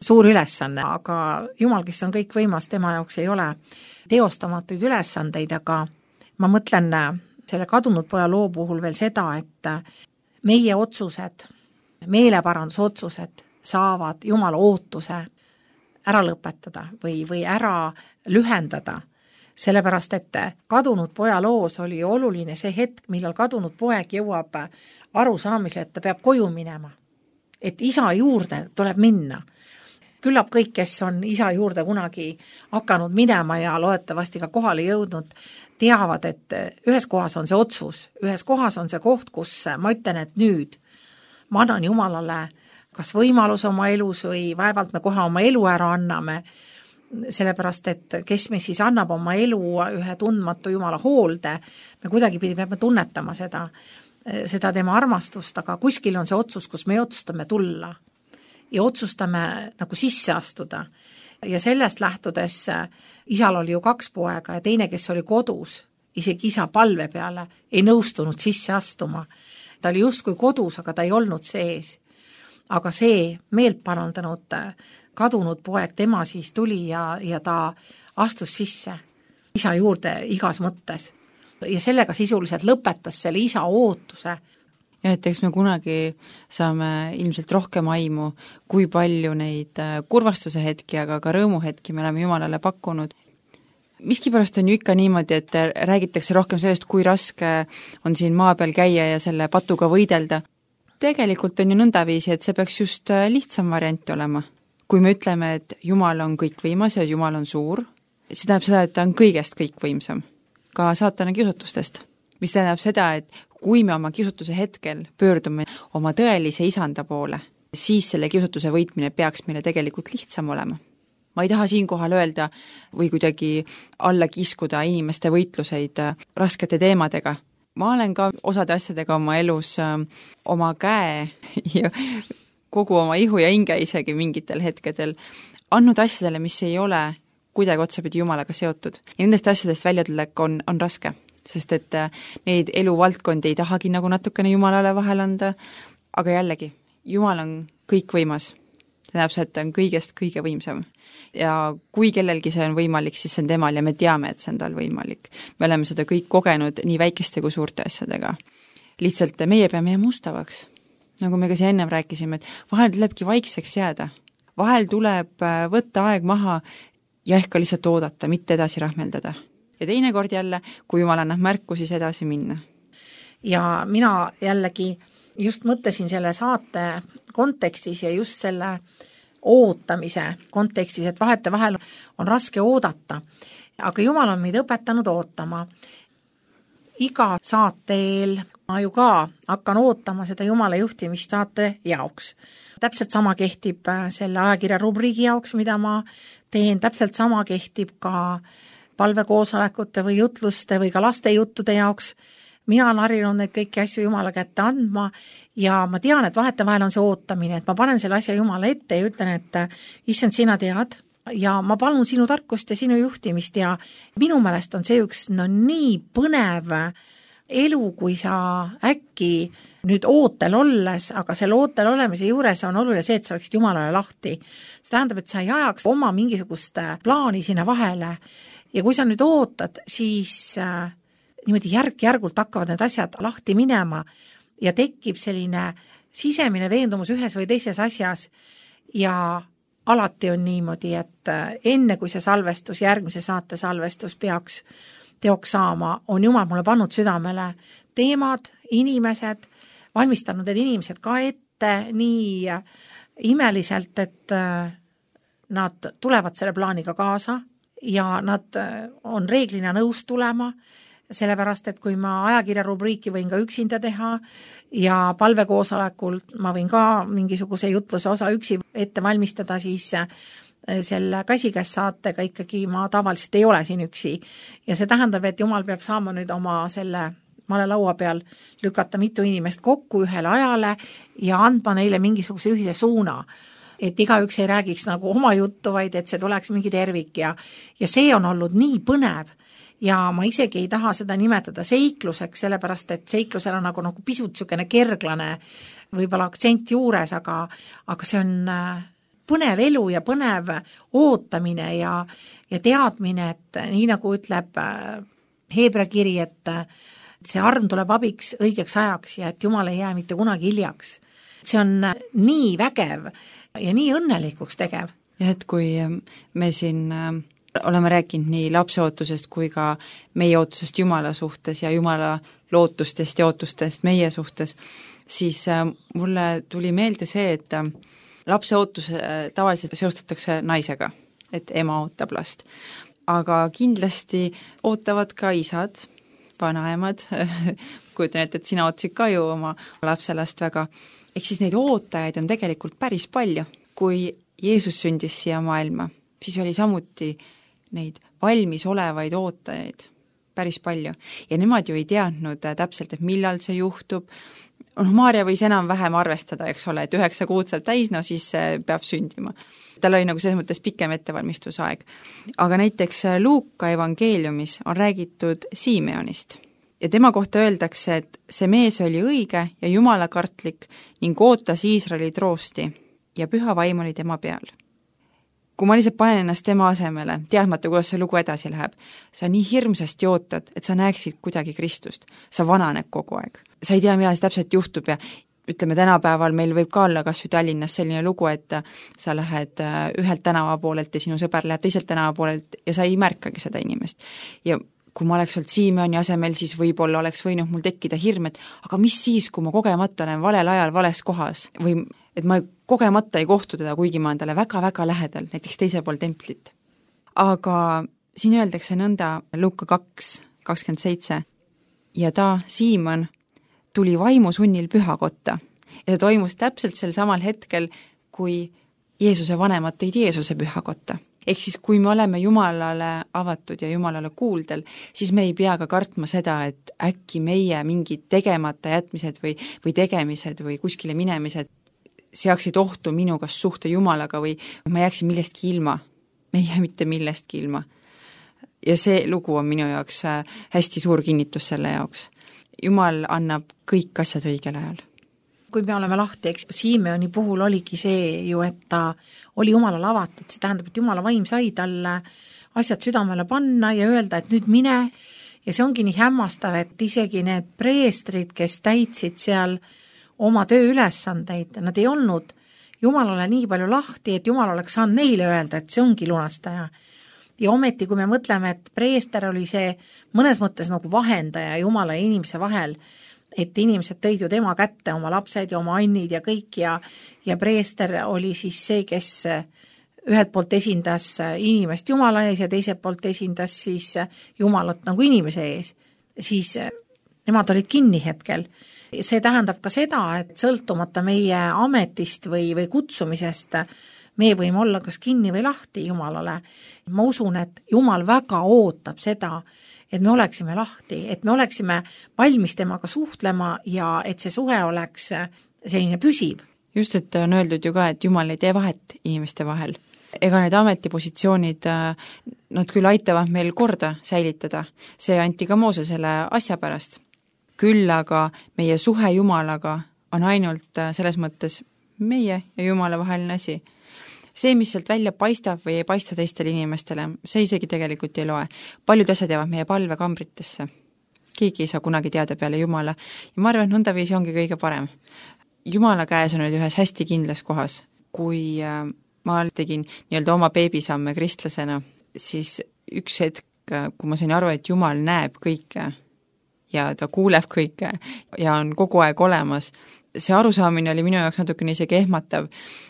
suur ülesanne, aga Jumal, kes on kõik võimas, tema jaoks ei ole teostamatuid ülesandeid, aga ma mõtlen selle kadunud poja loo puhul veel seda, et meie otsused, meeleparandusotsused saavad Jumala ootuse ära lõpetada või, või ära lühendada, sellepärast et kadunud poja loos oli oluline see hetk, millal kadunud poeg jõuab arusaamisele, et ta peab koju minema, et isa juurde tuleb minna. Küllap kõik, kes on isa juurde kunagi hakanud minema ja loodetavasti ka kohale jõudnud, teavad, et ühes kohas on see otsus, ühes kohas on see koht, kus ma ütlen, et nüüd ma annan Jumalale kas võimalus oma elus või vaevalt me kohe oma elu ära anname, sellepärast, et kes me siis annab oma elu ühe tundmatu Jumala hoolde, me kuidagi peame tunnetama seda, seda tema armastust, aga kuskil on see otsus, kus me otsustame tulla ja otsustame nagu sisse astuda. Ja sellest lähtudes isal oli ju kaks poega ja teine, kes oli kodus, isegi isa palve peale, ei nõustunud sisse astuma. Ta oli justkui kodus, aga ta ei olnud sees. Aga see meelt parandanud kadunud poeg, tema siis tuli ja, ja ta astus sisse isa juurde igas mõttes. Ja sellega sisuliselt lõpetas selle isa ootuse. Ja et eks me kunagi saame ilmselt rohkem aimu, kui palju neid kurvastuse hetki, aga ka rõõmuhetki me oleme Jumalale pakkunud. Miskipärast on ju ikka niimoodi, et räägitakse rohkem sellest, kui raske on siin maa peal käia ja selle patuga võidelda. Tegelikult on ju nõndaviisi, et see peaks just lihtsam variant olema. Kui me ütleme, et Jumal on kõikvõimas ja Jumal on suur, see tähendab seda, et ta on kõigest kõikvõimsam, ka saatana kiusutustest. Mis tähendab seda, et kui me oma kiusutuse hetkel pöördume oma tõelise isanda poole, siis selle kiusutuse võitmine peaks meile tegelikult lihtsam olema. Ma ei taha siinkohal öelda või kuidagi alla kiskuda inimeste võitluseid raskete teemadega. Ma olen ka osade asjadega oma elus äh, oma käe ja kogu oma ihu ja hinge isegi mingitel hetkedel andnud asjadele, mis ei ole kuidagi otsapidi Jumalaga seotud. Ja nendest asjadest väljatulek on, on raske, sest et äh, neid eluvaldkondi ei tahagi nagu natukene Jumalale vahel anda, aga jällegi, Jumal on kõikvõimas. See tähendab see, et ta on kõigest kõige võimsam. Ja kui kellelgi see on võimalik, siis see on temal ja me teame, et see on tal võimalik. Me oleme seda kõik kogenud nii väikeste kui suurte asjadega. Lihtsalt meie peame jääma ustavaks. Nagu me ka siin ennem rääkisime, et vahel tulebki vaikseks jääda. Vahel tuleb võtta aeg maha ja ehk ka lihtsalt oodata, mitte edasi rahmeldada. Ja teine kord jälle, kui Jumal annab märku, siis edasi minna. Ja mina jällegi just mõtlesin selle saate kontekstis ja just selle ootamise kontekstis, et vahetevahel on raske oodata, aga Jumal on meid õpetanud ootama. Iga saate eel ma ju ka hakkan ootama seda Jumala juhtimist saate jaoks. Täpselt sama kehtib selle ajakirja rubriigi jaoks, mida ma teen, täpselt sama kehtib ka palvekoosolekute või jutluste või ka laste juttude jaoks. Mina olen harjunud neid kõiki asju Jumala kätte andma ja ma tean, et vahetevahel on see ootamine, et ma panen selle asja Jumala ette ja ütlen, et issand, sina tead ja ma palun sinu tarkust ja sinu juhtimist ja minu meelest on see üks no nii põnev elu, kui sa äkki nüüd ootel olles, aga selle ootel olemise juures on oluline see, et sa oleksid Jumalale lahti. See tähendab, et sa ei ajaks oma mingisugust plaani sinna vahele ja kui sa nüüd ootad, siis äh, niimoodi järk-järgult hakkavad need asjad lahti minema ja tekib selline sisemine veendumus ühes või teises asjas ja alati on niimoodi, et enne kui see salvestus, järgmise saate salvestus peaks teoks saama, on Jumal mulle pannud südamele teemad, inimesed, valmistanud need inimesed ka ette nii imeliselt, et nad tulevad selle plaaniga kaasa ja nad on reeglina nõus tulema, sellepärast, et kui ma ajakirja rubriiki võin ka üksinda teha ja palvekoosolekul ma võin ka mingisuguse jutluse osa üksi ette valmistada, siis selle käsikäes saatega ikkagi ma tavaliselt ei ole siin üksi. Ja see tähendab, et Jumal peab saama nüüd oma selle male laua peal lükata mitu inimest kokku ühele ajale ja andma neile mingisuguse ühise suuna. Et igaüks ei räägiks nagu oma juttu, vaid et see tuleks mingi tervik ja, ja see on olnud nii põnev. Ja ma isegi ei taha seda nimetada seikluseks, sellepärast, et seiklusel on nagu, nagu pisut sükene kerglane võib-olla aktsent juures, aga, aga see on põnev elu ja põnev ootamine ja, ja teadmine, et nii nagu ütleb Heebra kiri, et see arm tuleb abiks õigeks ajaks ja et Jumal ei jää mitte kunagi hiljaks. See on nii vägev ja nii õnnelikuks tegev. Ja et kui me siin oleme rääkinud nii lapse ootusest kui ka meie ootusest Jumala suhtes ja Jumala lootustest ja ootustest meie suhtes, siis mulle tuli meelde see, et lapse ootus tavaliselt seostatakse naisega, et ema ootab last. Aga kindlasti ootavad ka isad, vanaemad, kujutan ette, et sina ootasid ka ju oma lapselast väga. Ehk siis neid ootajaid on tegelikult päris palju. Kui Jeesus sündis siia maailma, siis oli samuti neid valmis olevaid ootajaid päris palju. Ja nemad ju ei teadnud täpselt, et millal see juhtub. No, Maarja võis enam-vähem arvestada, eks ole, et üheksa kuud saab täis, no siis peab sündima. Tal oli nagu selles mõttes pikem ettevalmistusaeg. Aga näiteks Luuka evangeeliumis on räägitud Simeonist. Ja tema kohta öeldakse, et see mees oli õige ja jumalakartlik ning ootas Iisraeli troosti ja püha vaim oli tema peal. Kui ma lihtsalt panen ennast tema asemele, teadmata, kuidas see lugu edasi läheb, sa nii hirmsasti ootad, et sa näeksid kuidagi Kristust. Sa vananeb kogu aeg. Sa ei tea, millal see täpselt juhtub ja ütleme, tänapäeval meil võib ka olla kas või Tallinnas selline lugu, et sa lähed ühelt tänava poolelt ja sinu sõber läheb teiselt tänava poolelt ja sa ei märkagi seda inimest. Ja kui ma oleks olnud Simeoni asemel, siis võib-olla oleks võinud mul tekkida hirm, et aga mis siis, kui ma kogemata olen valel ajal vales kohas või et ma kogemata ei kohtu teda, kuigi ma olen talle väga-väga lähedal, näiteks teise pool templit. Aga siin öeldakse nõnda Luuka kaks kakskümmend seitse ja ta, Siimon, tuli vaimusunnil pühakotta ja ta toimus täpselt sel samal hetkel, kui Jeesuse vanemad tõid Jeesuse pühakotta. Ehk siis, kui me oleme Jumalale avatud ja Jumalale kuuldel, siis me ei pea ka kartma seda, et äkki meie mingid tegemata jätmised või, või tegemised või kuskile minemised seaksid ohtu minu kas suhte Jumalaga või ma jääksin millestki ilma. Me ei jää mitte millestki ilma. Ja see lugu on minu jaoks hästi suur kinnitus selle jaoks. Jumal annab kõik asjad õigel ajal. Kui me oleme lahti, eks Simeoni puhul oligi see ju, et ta oli Jumalale avatud, see tähendab, et Jumala vaim sai talle asjad südamele panna ja öelda, et nüüd mine ja see ongi nii hämmastav, et isegi need preestrid, kes täitsid seal oma tööülesandeid, nad ei olnud Jumalale nii palju lahti, et Jumal oleks saanud neile öelda, et see ongi lunastaja. Ja ometi, kui me mõtleme, et preester oli see mõnes mõttes nagu vahendaja Jumala ja inimese vahel, et inimesed tõid ju tema kätte, oma lapsed ja oma annid ja kõik ja, ja preester oli siis see, kes ühelt poolt esindas inimest Jumala ees ja teiselt poolt esindas siis Jumalat nagu inimese ees, siis nemad olid kinni hetkel. See tähendab ka seda, et sõltumata meie ametist või, või kutsumisest, me võime olla kas kinni või lahti Jumalale. Ma usun, et Jumal väga ootab seda, et me oleksime lahti, et me oleksime valmis temaga suhtlema ja et see suhe oleks selline püsiv. Just, et on öeldud ju ka, et Jumal ei tee vahet inimeste vahel. Ega need ametipositsioonid, nad küll aitavad meil korda säilitada. See anti ka Moosesele asja pärast. Küll aga meie suhe Jumalaga on ainult selles mõttes meie ja Jumala vaheline asi. See, mis sealt välja paistab või ei paista teistele inimestele, see isegi tegelikult ei loe. Paljud asjad jäävad meie palvekambritesse. Keegi ei saa kunagi teada peale Jumala ja ma arvan, et nõndaviisi ongi kõige parem. Jumala käes on nüüd ühes hästi kindlas kohas. Kui ma tegin nii-öelda oma beebisamme kristlasena, siis üks hetk, kui ma sain aru, et Jumal näeb kõike ja ta kuuleb kõike ja on kogu aeg olemas, see arusaamine oli minu jaoks natukene isegi ehmatav,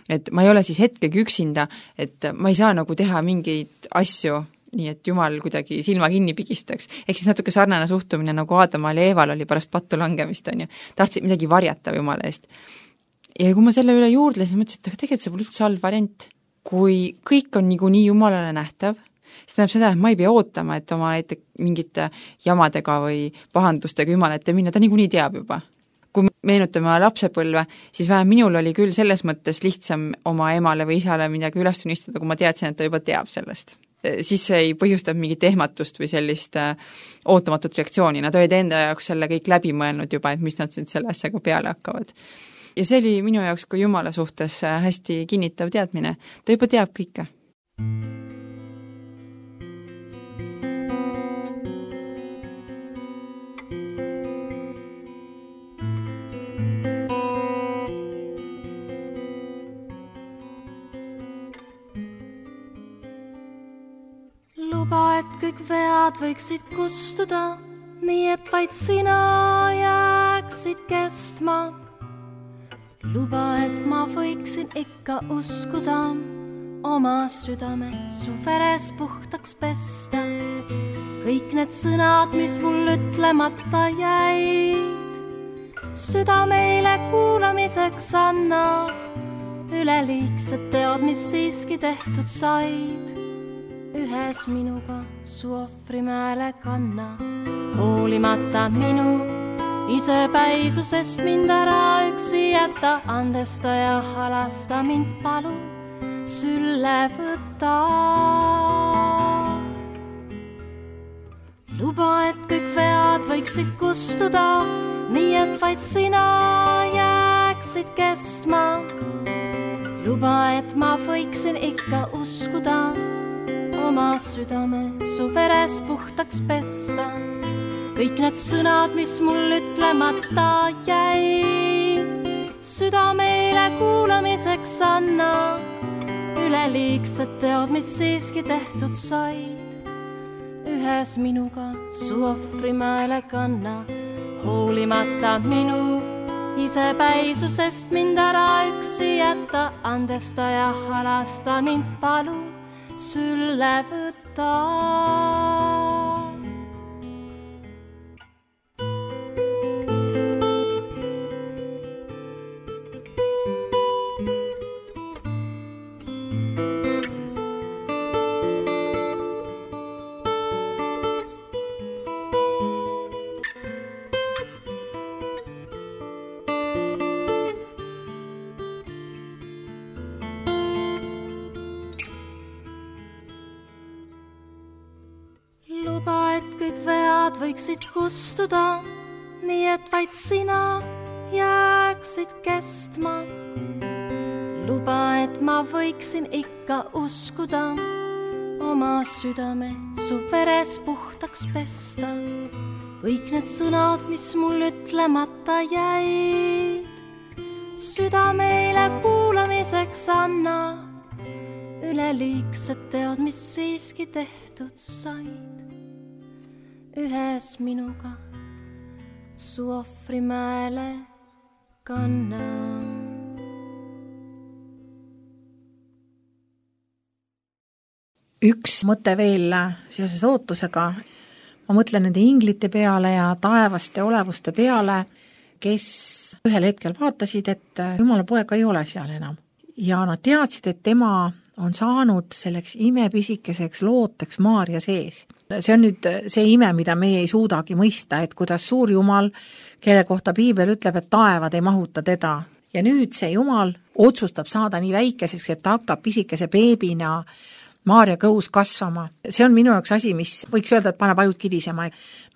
et ma ei ole siis hetkegi üksinda, et ma ei saa nagu teha mingeid asju, nii et Jumal kuidagi silma kinni pigistaks. Ehk siis natuke sarnane suhtumine, nagu Aadamal ja Eeval oli pärast pattu langemist, on ju. Tahtsid midagi varjata Jumala eest. Ja kui ma selle üle juurdlesin, mõtlesin, et tegelikult see pole üldse halb variant. Kui kõik on niikuinii Jumalale nähtav, siis tähendab seda, et ma ei pea ootama, et oma näiteks mingite jamadega või pahandustega Jumala ette minna, ta niikuinii teab juba. Kui meenutame lapsepõlve, siis vähem minul oli küll selles mõttes lihtsam oma emale või isale midagi üles tunnistada, kui ma teadsin, et ta juba teab sellest. Siis see ei põhjustab mingit ehmatust või sellist ootamatut reaktsiooni. Nad olid enda jaoks selle kõik läbi mõelnud juba, et mis nad nüüd selle asjaga peale hakkavad. Ja see oli minu jaoks kui Jumala suhtes hästi kinnitav teadmine. Ta juba teab kõike. Luba, et kõik vead võiksid kustuda, nii et vaid sina jääksid kestma. Luba, et ma võiksin ikka uskuda, oma südame su veres puhtaks pesta. Kõik need sõnad, mis mul ütlemata jäid, südameile kuulamiseks anna. Üleliigsed teod, mis siiski tehtud said, ühes minuga su ohvrimäele kanna. Hoolimata minu isepäisusest mind ära üksi jätta, andesta ja halasta mind palu sülle võtta. Luba, et kõik vead võiksid kustuda, nii et vaid sina jääksid kestma. Luba, et ma võiksin ikka uskuda, oma südame su veres puhtaks pesta. Kõik need sõnad, mis mul ütlemata jäid, südameile kuulamiseks anna. Üleliigsed teod, mis siiski tehtud said, ühes minuga su ohvrimäele kanna. Hoolimata minu isepäisusest mind ära üksi jätta, andesta ja halasta mind palu sülle võtta. Võiksid kustuda, nii et vaid sina jääksid kestma. Luba, et ma võiksin ikka uskuda, oma südame su veres puhtaks pesta. Kõik need sõnad, mis mul ütlemata jäid, südameile kuulamiseks anna. Üleliigsed teod, mis siiski tehtud said, ühes minuga su ohvrimäele kanna. Üks mõte veel seoses ootusega. Ma mõtlen nende inglite peale ja taevaste olevuste peale, kes ühel hetkel vaatasid, et Jumala poega ei ole seal enam. Ja nad teadsid, et tema on saanud selleks imepisikeseks looteks Maaria sees. See on nüüd see ime, mida meie ei suudagi mõista, et kuidas suur Jumal, kelle kohta Piibel ütleb, et taevad ei mahuta teda. Ja nüüd see Jumal otsustab saada nii väikeseks, et ta hakkab pisikese beebina Maaria kõhus kasvama. See on minu jaoks asi, mis võiks öelda, et paneb ajud kidisema.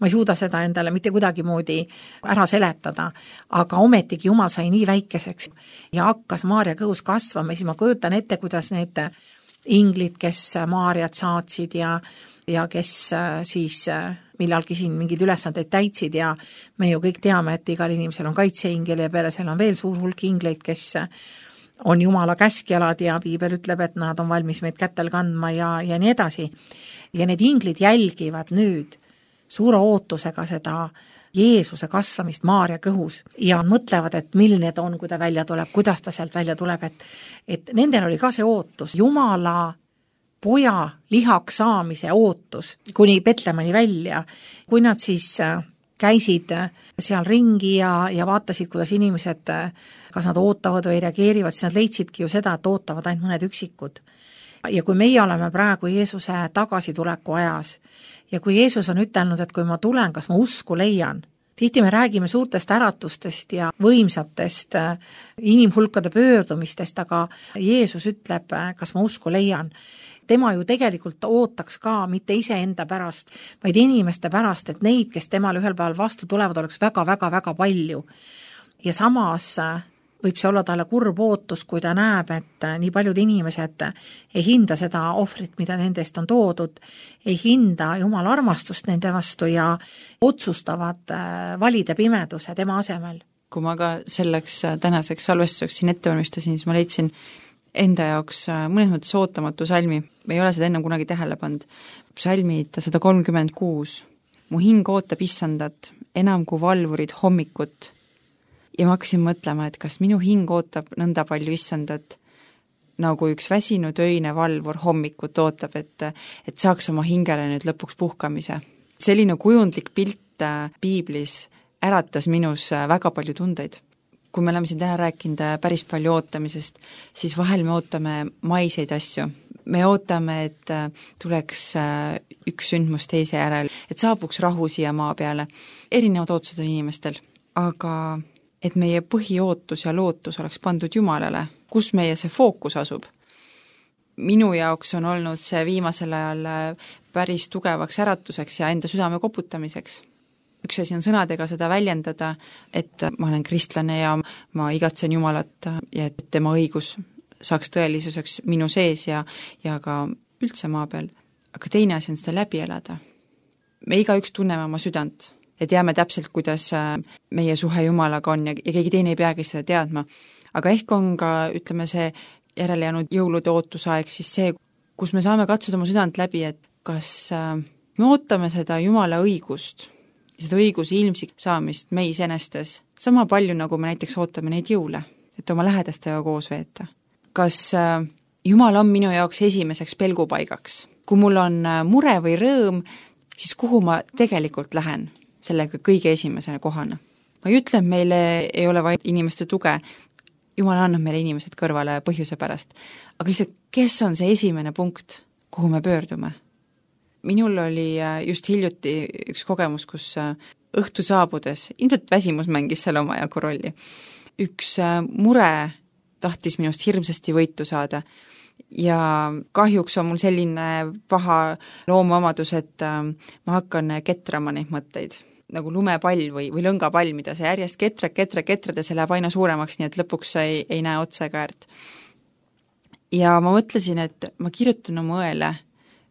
Ma ei suuda seda endale mitte kuidagi moodi ära seletada, aga ometigi Jumal sai nii väikeseks ja hakkas Maaria kõhus kasvama. Siis ma kujutan ette, kuidas need inglid, kes Maariat saatsid ja, ja kes siis millalgi siin mingid ülesandeid täitsid ja me ju kõik teame, et igal inimesel on kaitseingel ja peale seal on veel suur hulk ingleid, kes on Jumala käskjalad ja Piibel ütleb, et nad on valmis meid kätel kandma ja, ja nii edasi. Ja need inglid jälgivad nüüd suure ootusega seda Jeesuse kasvamist Maaria kõhus ja mõtlevad, et milline ta on, kui ta välja tuleb, kuidas ta sealt välja tuleb, et, et nendel oli ka see ootus, Jumala poja lihaks saamise ootus kuni Betlemani välja, kui nad siis käisid seal ringi ja, ja vaatasid, kuidas inimesed, kas nad ootavad või reageerivad, siis nad leidsidki ju seda, et ootavad ainult mõned üksikud. Ja kui meie oleme praegu Jeesuse tagasituleku ajas ja kui Jeesus on ütelnud, et kui ma tulen, kas ma usku leian, tihti me räägime suurtest äratustest ja võimsatest inimhulkade pöördumistest, aga Jeesus ütleb, kas ma usku leian. Tema ju tegelikult ootaks ka mitte iseenda pärast, vaid inimeste pärast, et neid, kes temal ühel päeval vastu tulevad, oleks väga-väga-väga palju. Ja samas võib see olla talle kurb ootus, kui ta näeb, et nii paljud inimesed ei hinda seda ohvrit, mida nendest on toodud, ei hinda Jumala armastust nende vastu ja otsustavad valida pimeduse tema asemel. Kui ma ka selleks tänaseks salvestuseks siin ette valmistasin, siis ma leidsin enda jaoks mõnes mõttes ootamatu salmi. Me ei ole seda ennem kunagi tähele pand. Salmid sada kolmkümmend kuus. Mu hing ootab issandat, enam kui valvurid hommikut. Ja ma hakkasin mõtlema, et kas minu hing ootab nõnda palju issandat, nagu üks väsinud öine valvur hommikut ootab, et, et saaks oma hingele nüüd lõpuks puhkamise. Selline kujundlik pilt Piiblis äratas minus väga palju tundeid. Kui me oleme siin täna rääkinud päris palju ootamisest, siis vahel me ootame maiseid asju. Me ootame, et tuleks üks sündmus teise järel, et saabuks rahu siia maa peale. Erinevad ootused on inimestel, aga et meie põhiootus ja lootus oleks pandud Jumalale, kus meie see fookus asub. Minu jaoks on olnud see viimasel ajal päris tugevaks äratuseks ja enda südame koputamiseks. Üks asi on sõnadega seda väljendada, et ma olen kristlane ja ma igatsen Jumalat ja et tema õigus saaks tõelisuseks minu sees ja, ja ka üldse maa peal. Aga teine asi on seda läbi elada. Me igaüks tunneme oma südant ja teame täpselt, kuidas meie suhe Jumalaga on ja, ja keegi teine ei peagi seda teadma. Aga ehk on ka, ütleme, see järele jäänud jõulude ootusaeg siis see, kus me saame katsuda oma südant läbi, et kas me ootame seda Jumala õigust, seda õiguse ilmsik saamist meis enestes, sama palju, nagu me näiteks ootame neid jõule, et oma lähedastega koos veeta. Kas Jumal on minu jaoks esimeseks pelgupaigaks? Kui mul on mure või rõõm, siis kuhu ma tegelikult lähen sellega kõige esimesena kohana? Ma ei ütle, et meile ei ole vaid inimeste tuge, Jumal annab meile inimesed kõrvale põhjuse pärast, aga lihtsalt, kes on see esimene punkt, kuhu me pöördume? Minul oli just hiljuti üks kogemus, kus õhtu saabudes, ilmselt väsimus mängis seal oma jagu rolli. Üks mure tahtis minust hirmsasti võitu saada ja kahjuks on mul selline paha loomuomadus, et ma hakkan ketrama neid mõtteid, nagu lumepall või, või lõngapall, mida see järjest ketrad, ketrad, ketrad ja see läheb aina suuremaks, nii et lõpuks ei, ei näe otsa ega äärt. Ja ma mõtlesin, et ma kirjutan oma õele,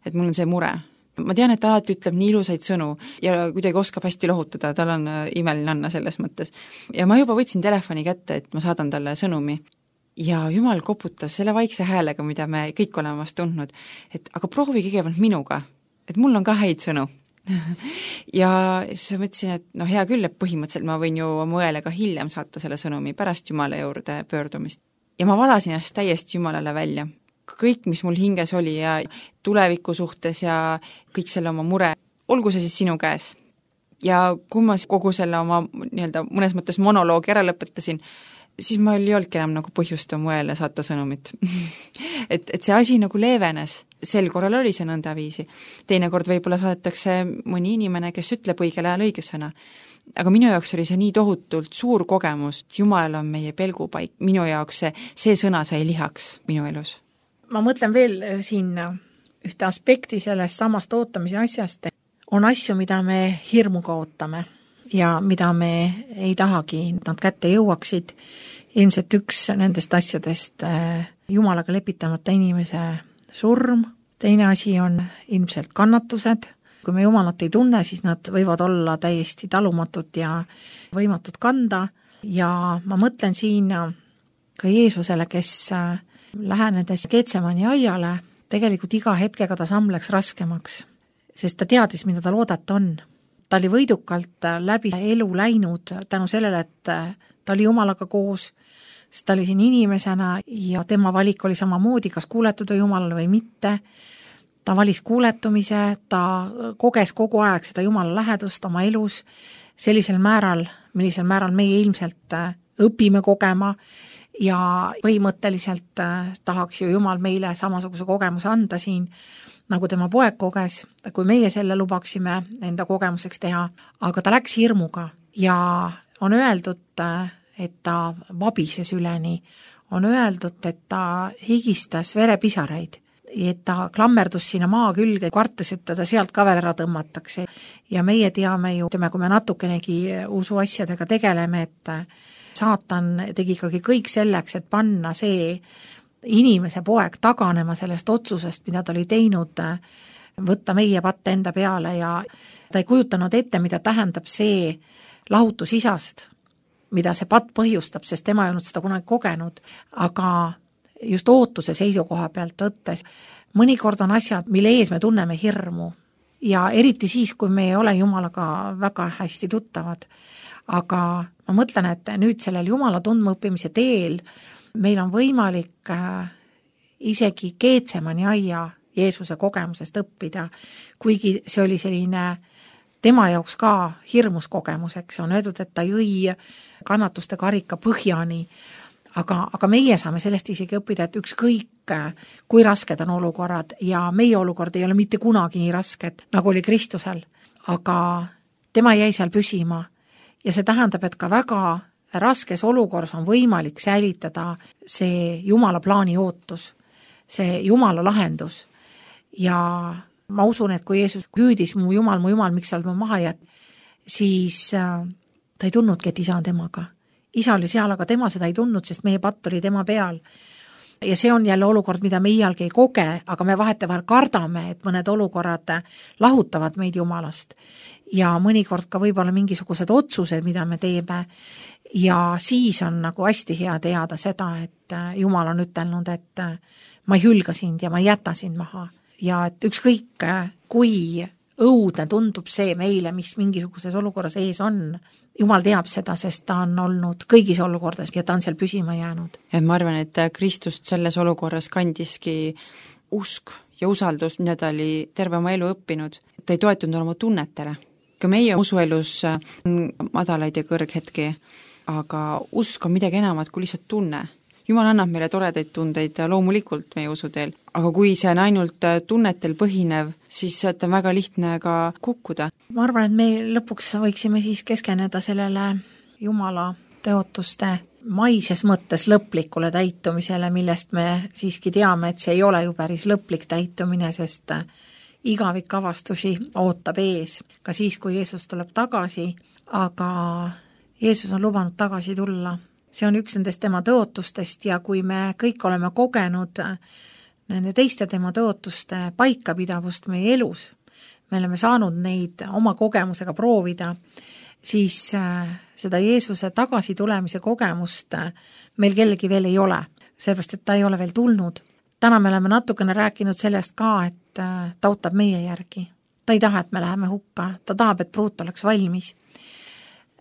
et mul on see mure. Ma tean, et ta alati ütleb nii ilusaid sõnu ja kuidagi oskab hästi lohutada, tal on imeline Anna selles mõttes. Ja ma juba võtsin telefoni kätte, et ma saadan talle sõnumi. Ja Jumal koputas selle vaikse häälega, mida me kõik oleme vast tundnud, et aga proovi kõigepealt minuga, et mul on ka häid sõnu. ja siis mõtlesin, et no hea küll, et põhimõtteliselt ma võin ju oma õele ka hiljem saata selle sõnumi pärast Jumala juurde pöördumist. Ja ma valasin ennast täiesti Jumalale välja. Kõik, mis mul hinges oli ja tuleviku suhtes ja kõik selle oma mure, olgu see siis sinu käes. Ja kui ma kogu selle oma nii-öelda mõnes mõttes monoloogi ära lõpetasin, siis ma ei olnudki enam nagu põhjust oma õele saata sõnumit. et, et see asi nagu leevenes, sel korral oli see nõndaviisi. Teine kord võib-olla saadetakse mõni inimene, kes ütleb õigel ajal õige sõna. Aga minu jaoks oli see nii tohutult suur kogemus, et Jumal on meie pelgupaik, minu jaoks see, see sõna sai lihaks minu elus. Ma mõtlen veel siin ühte aspekti sellest samast ootamise asjast. On asju, mida me hirmuga ootame ja mida me ei tahagi, nad kätte jõuaksid. Ilmselt üks nendest asjadest Jumalaga lepitamata inimese surm. Teine asi on ilmselt kannatused. Kui me Jumalat ei tunne, siis nad võivad olla täiesti talumatud ja võimatud kanda. Ja ma mõtlen siin ka Jeesusele, kes lähenedes Getsemani aiale, tegelikult iga hetkega ta samm läks raskemaks. Sest ta teadis, mida tal oodata on. Ta oli võidukalt läbi elu läinud tänu sellele, et ta oli Jumalaga koos, sest ta oli siin inimesena ja tema valik oli samamoodi, kas kuuletuda Jumalale või mitte. Ta valis kuuletumise, ta koges kogu aeg seda Jumala lähedust oma elus sellisel määral, millisel määral meie ilmselt õpime kogema ja põhimõtteliselt tahaks ju Jumal meile samasuguse kogemuse anda siin, nagu tema poeg koges, kui meie selle lubaksime enda kogemuseks teha, aga ta läks hirmuga ja on öeldud, et ta vabises üleni, on öeldud, et ta higistas verepisareid, et ta klammerdus sinna maa külge, kartes, et teda sealt ka veel ära tõmmatakse. Ja meie teame ju, kui me natukenegi usu asjadega tegeleme, et saatan tegi ikkagi kõik selleks, et panna see inimese poeg taganema sellest otsusest, mida ta oli teinud, võtta meie patte enda peale ja ta ei kujutanud ette, mida tähendab see lahutus isast, mida see patt põhjustab, sest tema ei olnud seda kunagi kogenud, aga just ootuse seisukoha pealt võttes, mõnikord on asjad, mille ees me tunneme hirmu ja eriti siis, kui me ei ole Jumalaga väga hästi tuttavad, aga ma mõtlen, et nüüd sellel Jumala tundmaõppimise teel meil on võimalik isegi Getsemani aia Jeesuse kogemusest õppida, kuigi see oli selline tema jaoks ka hirmus kogemuseks, on öeldud, et ta jõi kannatuste karika põhjani, aga, aga meie saame sellest isegi õppida, et ükskõik, kui rasked on olukorrad ja meie olukord ei ole mitte kunagi nii rasked, nagu oli Kristusel, aga tema jäi seal püsima ja see tähendab, et ka väga raskes olukorras on võimalik säilitada see Jumala plaani ootus, see Jumala lahendus. Ja ma usun, et kui Jeesus hüüdis mu Jumal, mu Jumal, miks sa oled mu maha jääd, siis ta ei tundnudki, et isa on temaga. Isa oli seal, aga tema seda ei tundnud, sest meie patt oli tema peal. Ja see on jälle olukord, mida me iialgi ei koge, aga me vahetevahel kardame, et mõned olukorrad lahutavad meid Jumalast. Ja mõnikord ka võib-olla mingisugused otsused, mida me teeme, ja siis on nagu hästi hea teada seda, et Jumal on ütelnud, et ma ei hülga sind ja ma ei jäta sind maha. Ja et ükskõik, kui õudne tundub see meile, mis mingisuguses olukorras ees on, Jumal teab seda, sest ta on olnud kõigis olukordades ja ta on seal püsima jäänud. Ja ma arvan, et Kristust selles olukorras kandiski usk ja usaldus, mida ta oli terve oma elu õppinud. Ta ei toetunud oma tunnetele. Ka meie usuelus on madalaid ja kõrghetki, aga usk on midagi enamat kui lihtsalt tunne. Jumal annab meile toredaid tundeid loomulikult meie usuteel, aga kui see on ainult tunnetel põhinev, siis sealt on väga lihtne ka kukkuda. Ma arvan, et me lõpuks võiksime siis keskeneda sellele Jumala tõotuste maises mõttes lõplikule täitumisele, millest me siiski teame, et see ei ole ju päris lõplik täitumine, sest igavik avastusi ootab ees, ka siis, kui Jeesus tuleb tagasi, aga Jeesus on lubanud tagasi tulla. See on üks nendest tema tõotustest ja kui me kõik oleme kogenud nende teiste tema tõotuste paikapidavust meie elus, me oleme saanud neid oma kogemusega proovida, siis seda Jeesuse tagasi tulemise kogemust meil kellegi veel ei ole, sellepärast, et ta ei ole veel tulnud. Täna me oleme natukene rääkinud sellest ka, et ta ootab meie järgi. ta ei taha, et me läheme hukka, ta tahab, et pruut oleks valmis.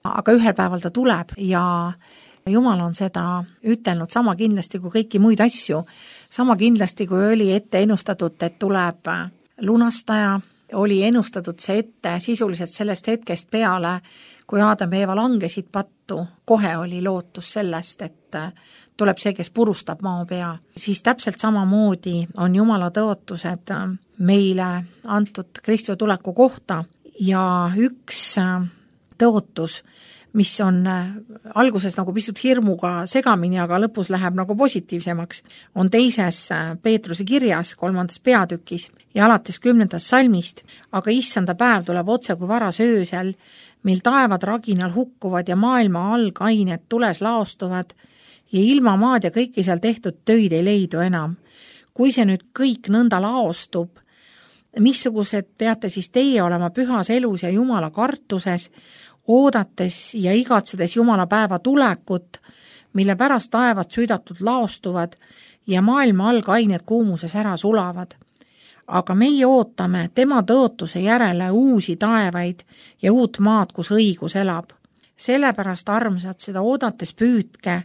Aga ühel päeval ta tuleb ja Jumal on seda ütelnud sama kindlasti kui kõiki muid asju, sama kindlasti kui oli ette ennustatud, et tuleb lunastaja, oli ennustatud see ette sisuliselt sellest hetkest peale, kui Aadam ja Eeva langesid pattu, kohe oli lootus sellest, et tuleb see, kes purustab maa pea. Siis täpselt samamoodi on Jumala tõotused meile antud Kristuse tuleku kohta ja üks tõotus, mis on alguses nagu pisut hirmuga segamini, aga lõpus läheb nagu positiivsemaks, on teises Peetruse kirjas, kolmandas peatükis ja alates kümnendast salmist, aga issanda päev tuleb otse kui varas öösel, mil taevad raginal hukkuvad ja maailma algained tules laostuvad ja ilma maad ja kõiki seal tehtud töid ei leidu enam. Kui see nüüd kõik nõnda laostub, missugused peate siis teie olema pühas elus ja Jumala kartuses, oodates ja igatsedes Jumala päeva tulekut, mille pärast taevad südatud laostuvad ja maailma algained kuumuses ära sulavad. Aga meie ootame tema tõotuse järele uusi taevaid ja uut maad, kus õigus elab. Sellepärast, armsad, seda oodates püüdke,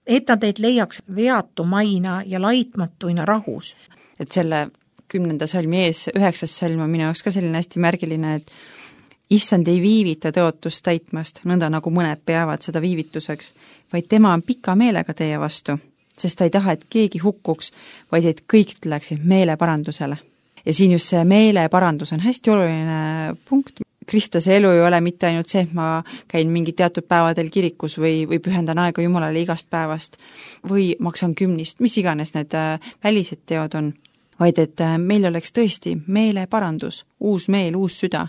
et ta teid leiaks veatumaina ja laitmatuina rahus. Et selle kümnenda salmi ees, üheksas salm on minu jaoks ka selline hästi märgiline, et issand ei viivita tõotust täitmast, nõnda nagu mõned peavad seda viivituseks, vaid tema on pika meelega teie vastu, sest ta ei taha, et keegi hukkuks, vaid et kõik tuleksid meeleparandusele. Ja siin just see meeleparandus on hästi oluline punkt. Kristuse elu ei ole mitte ainult see, et ma käin mingi teatud päevadel kirikus või, või pühendan aega Jumalale igast päevast või maksan kümnist, mis iganes need välised teod on, vaid et meil oleks tõesti meeleparandus, uus meel, uus süda.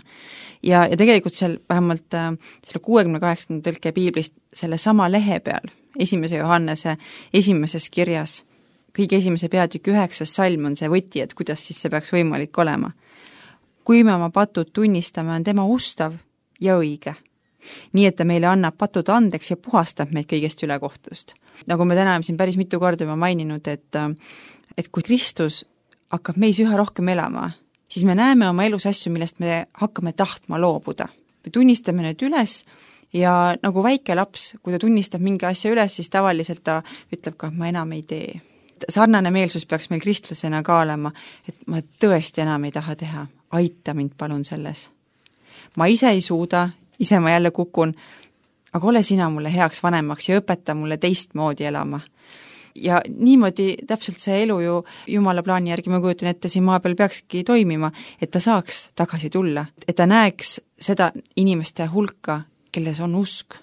Ja, ja tegelikult seal vähemalt selle kuuekümne kaheksanda tõlke piiblist selle sama lehe peal, esimese Johannese esimeses kirjas, kõige esimese peatüki üheksas salm on see võti, et kuidas siis see peaks võimalik olema. Kui me oma patud tunnistame, on tema ustav ja õige. Nii, et ta meile annab patud andeks ja puhastab meid kõigest ülekohtust. Nagu me täna siin päris mitu korda juba maininud, et, et kui Kristus hakkab meis üha rohkem elama, siis me näeme oma elus asju, millest me hakkame tahtma loobuda. Me tunnistame need üles ja nagu väike laps, kui ta tunnistab mingi asja üles, siis tavaliselt ta ütleb ka, et ma enam ei tee. Sarnane meelsus peaks meil kristlasena ka olema, et ma tõesti enam ei taha teha. Aita mind palun selles. Ma ise ei suuda, ise ma jälle kukun, aga ole sina mulle heaks vanemaks ja õpeta mulle teistmoodi elama. Ja niimoodi täpselt see elu ju Jumala plaani järgi, ma kujutan ette, siin maa peal peakski toimima, et ta saaks tagasi tulla, et ta näeks seda inimeste hulka, kelles on usk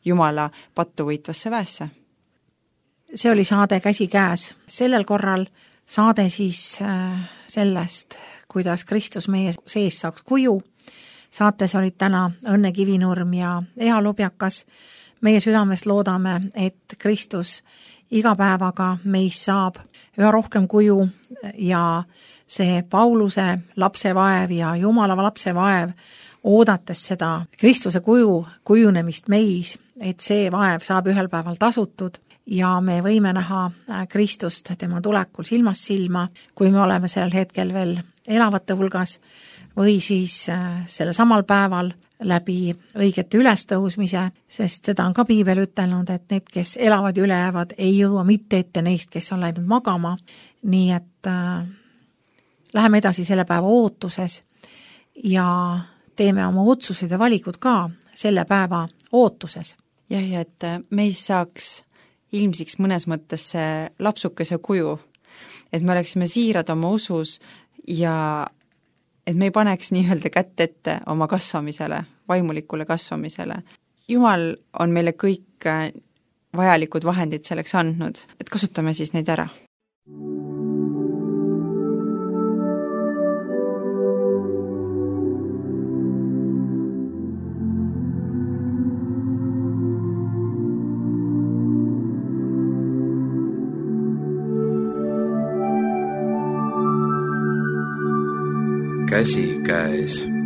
Jumala pattu võitvasse väesse. See oli saade Käsi käes. Sellel korral saade siis sellest, kuidas Kristus meie sees saaks kuju. Saates olid täna Õnne Kivinurm ja Ea Lubjakas. Meie südamest loodame, et Kristus iga päevaga meis saab üha rohkem kuju ja see Pauluse lapsevaev ja Jumala lapsevaev, oodates seda Kristuse kuju kujunemist meis, et see vaev saab ühel päeval tasutud ja me võime näha Kristust tema tulekul silmast silma, kui me oleme sellel hetkel veel elavate hulgas või siis selle samal päeval läbi õigete ülestõusmise, sest seda on ka piibel ütelnud, et need, kes elavad ja ülejäävad, ei jõua mitte ette neist, kes on läinud magama, nii et äh, läheme edasi selle päeva ootuses ja teeme oma otsused ja valikud ka selle päeva ootuses. Jah, ja et meis saaks ilmsiks mõnes mõttes see lapsukese kuju, et me oleksime siirad oma usus ja et me ei paneks nii-öelda kätt ette oma kasvamisele, vaimulikule kasvamisele. Jumal on meile kõik vajalikud vahendid selleks andnud, et kasutame siis neid ära. Käsi käes.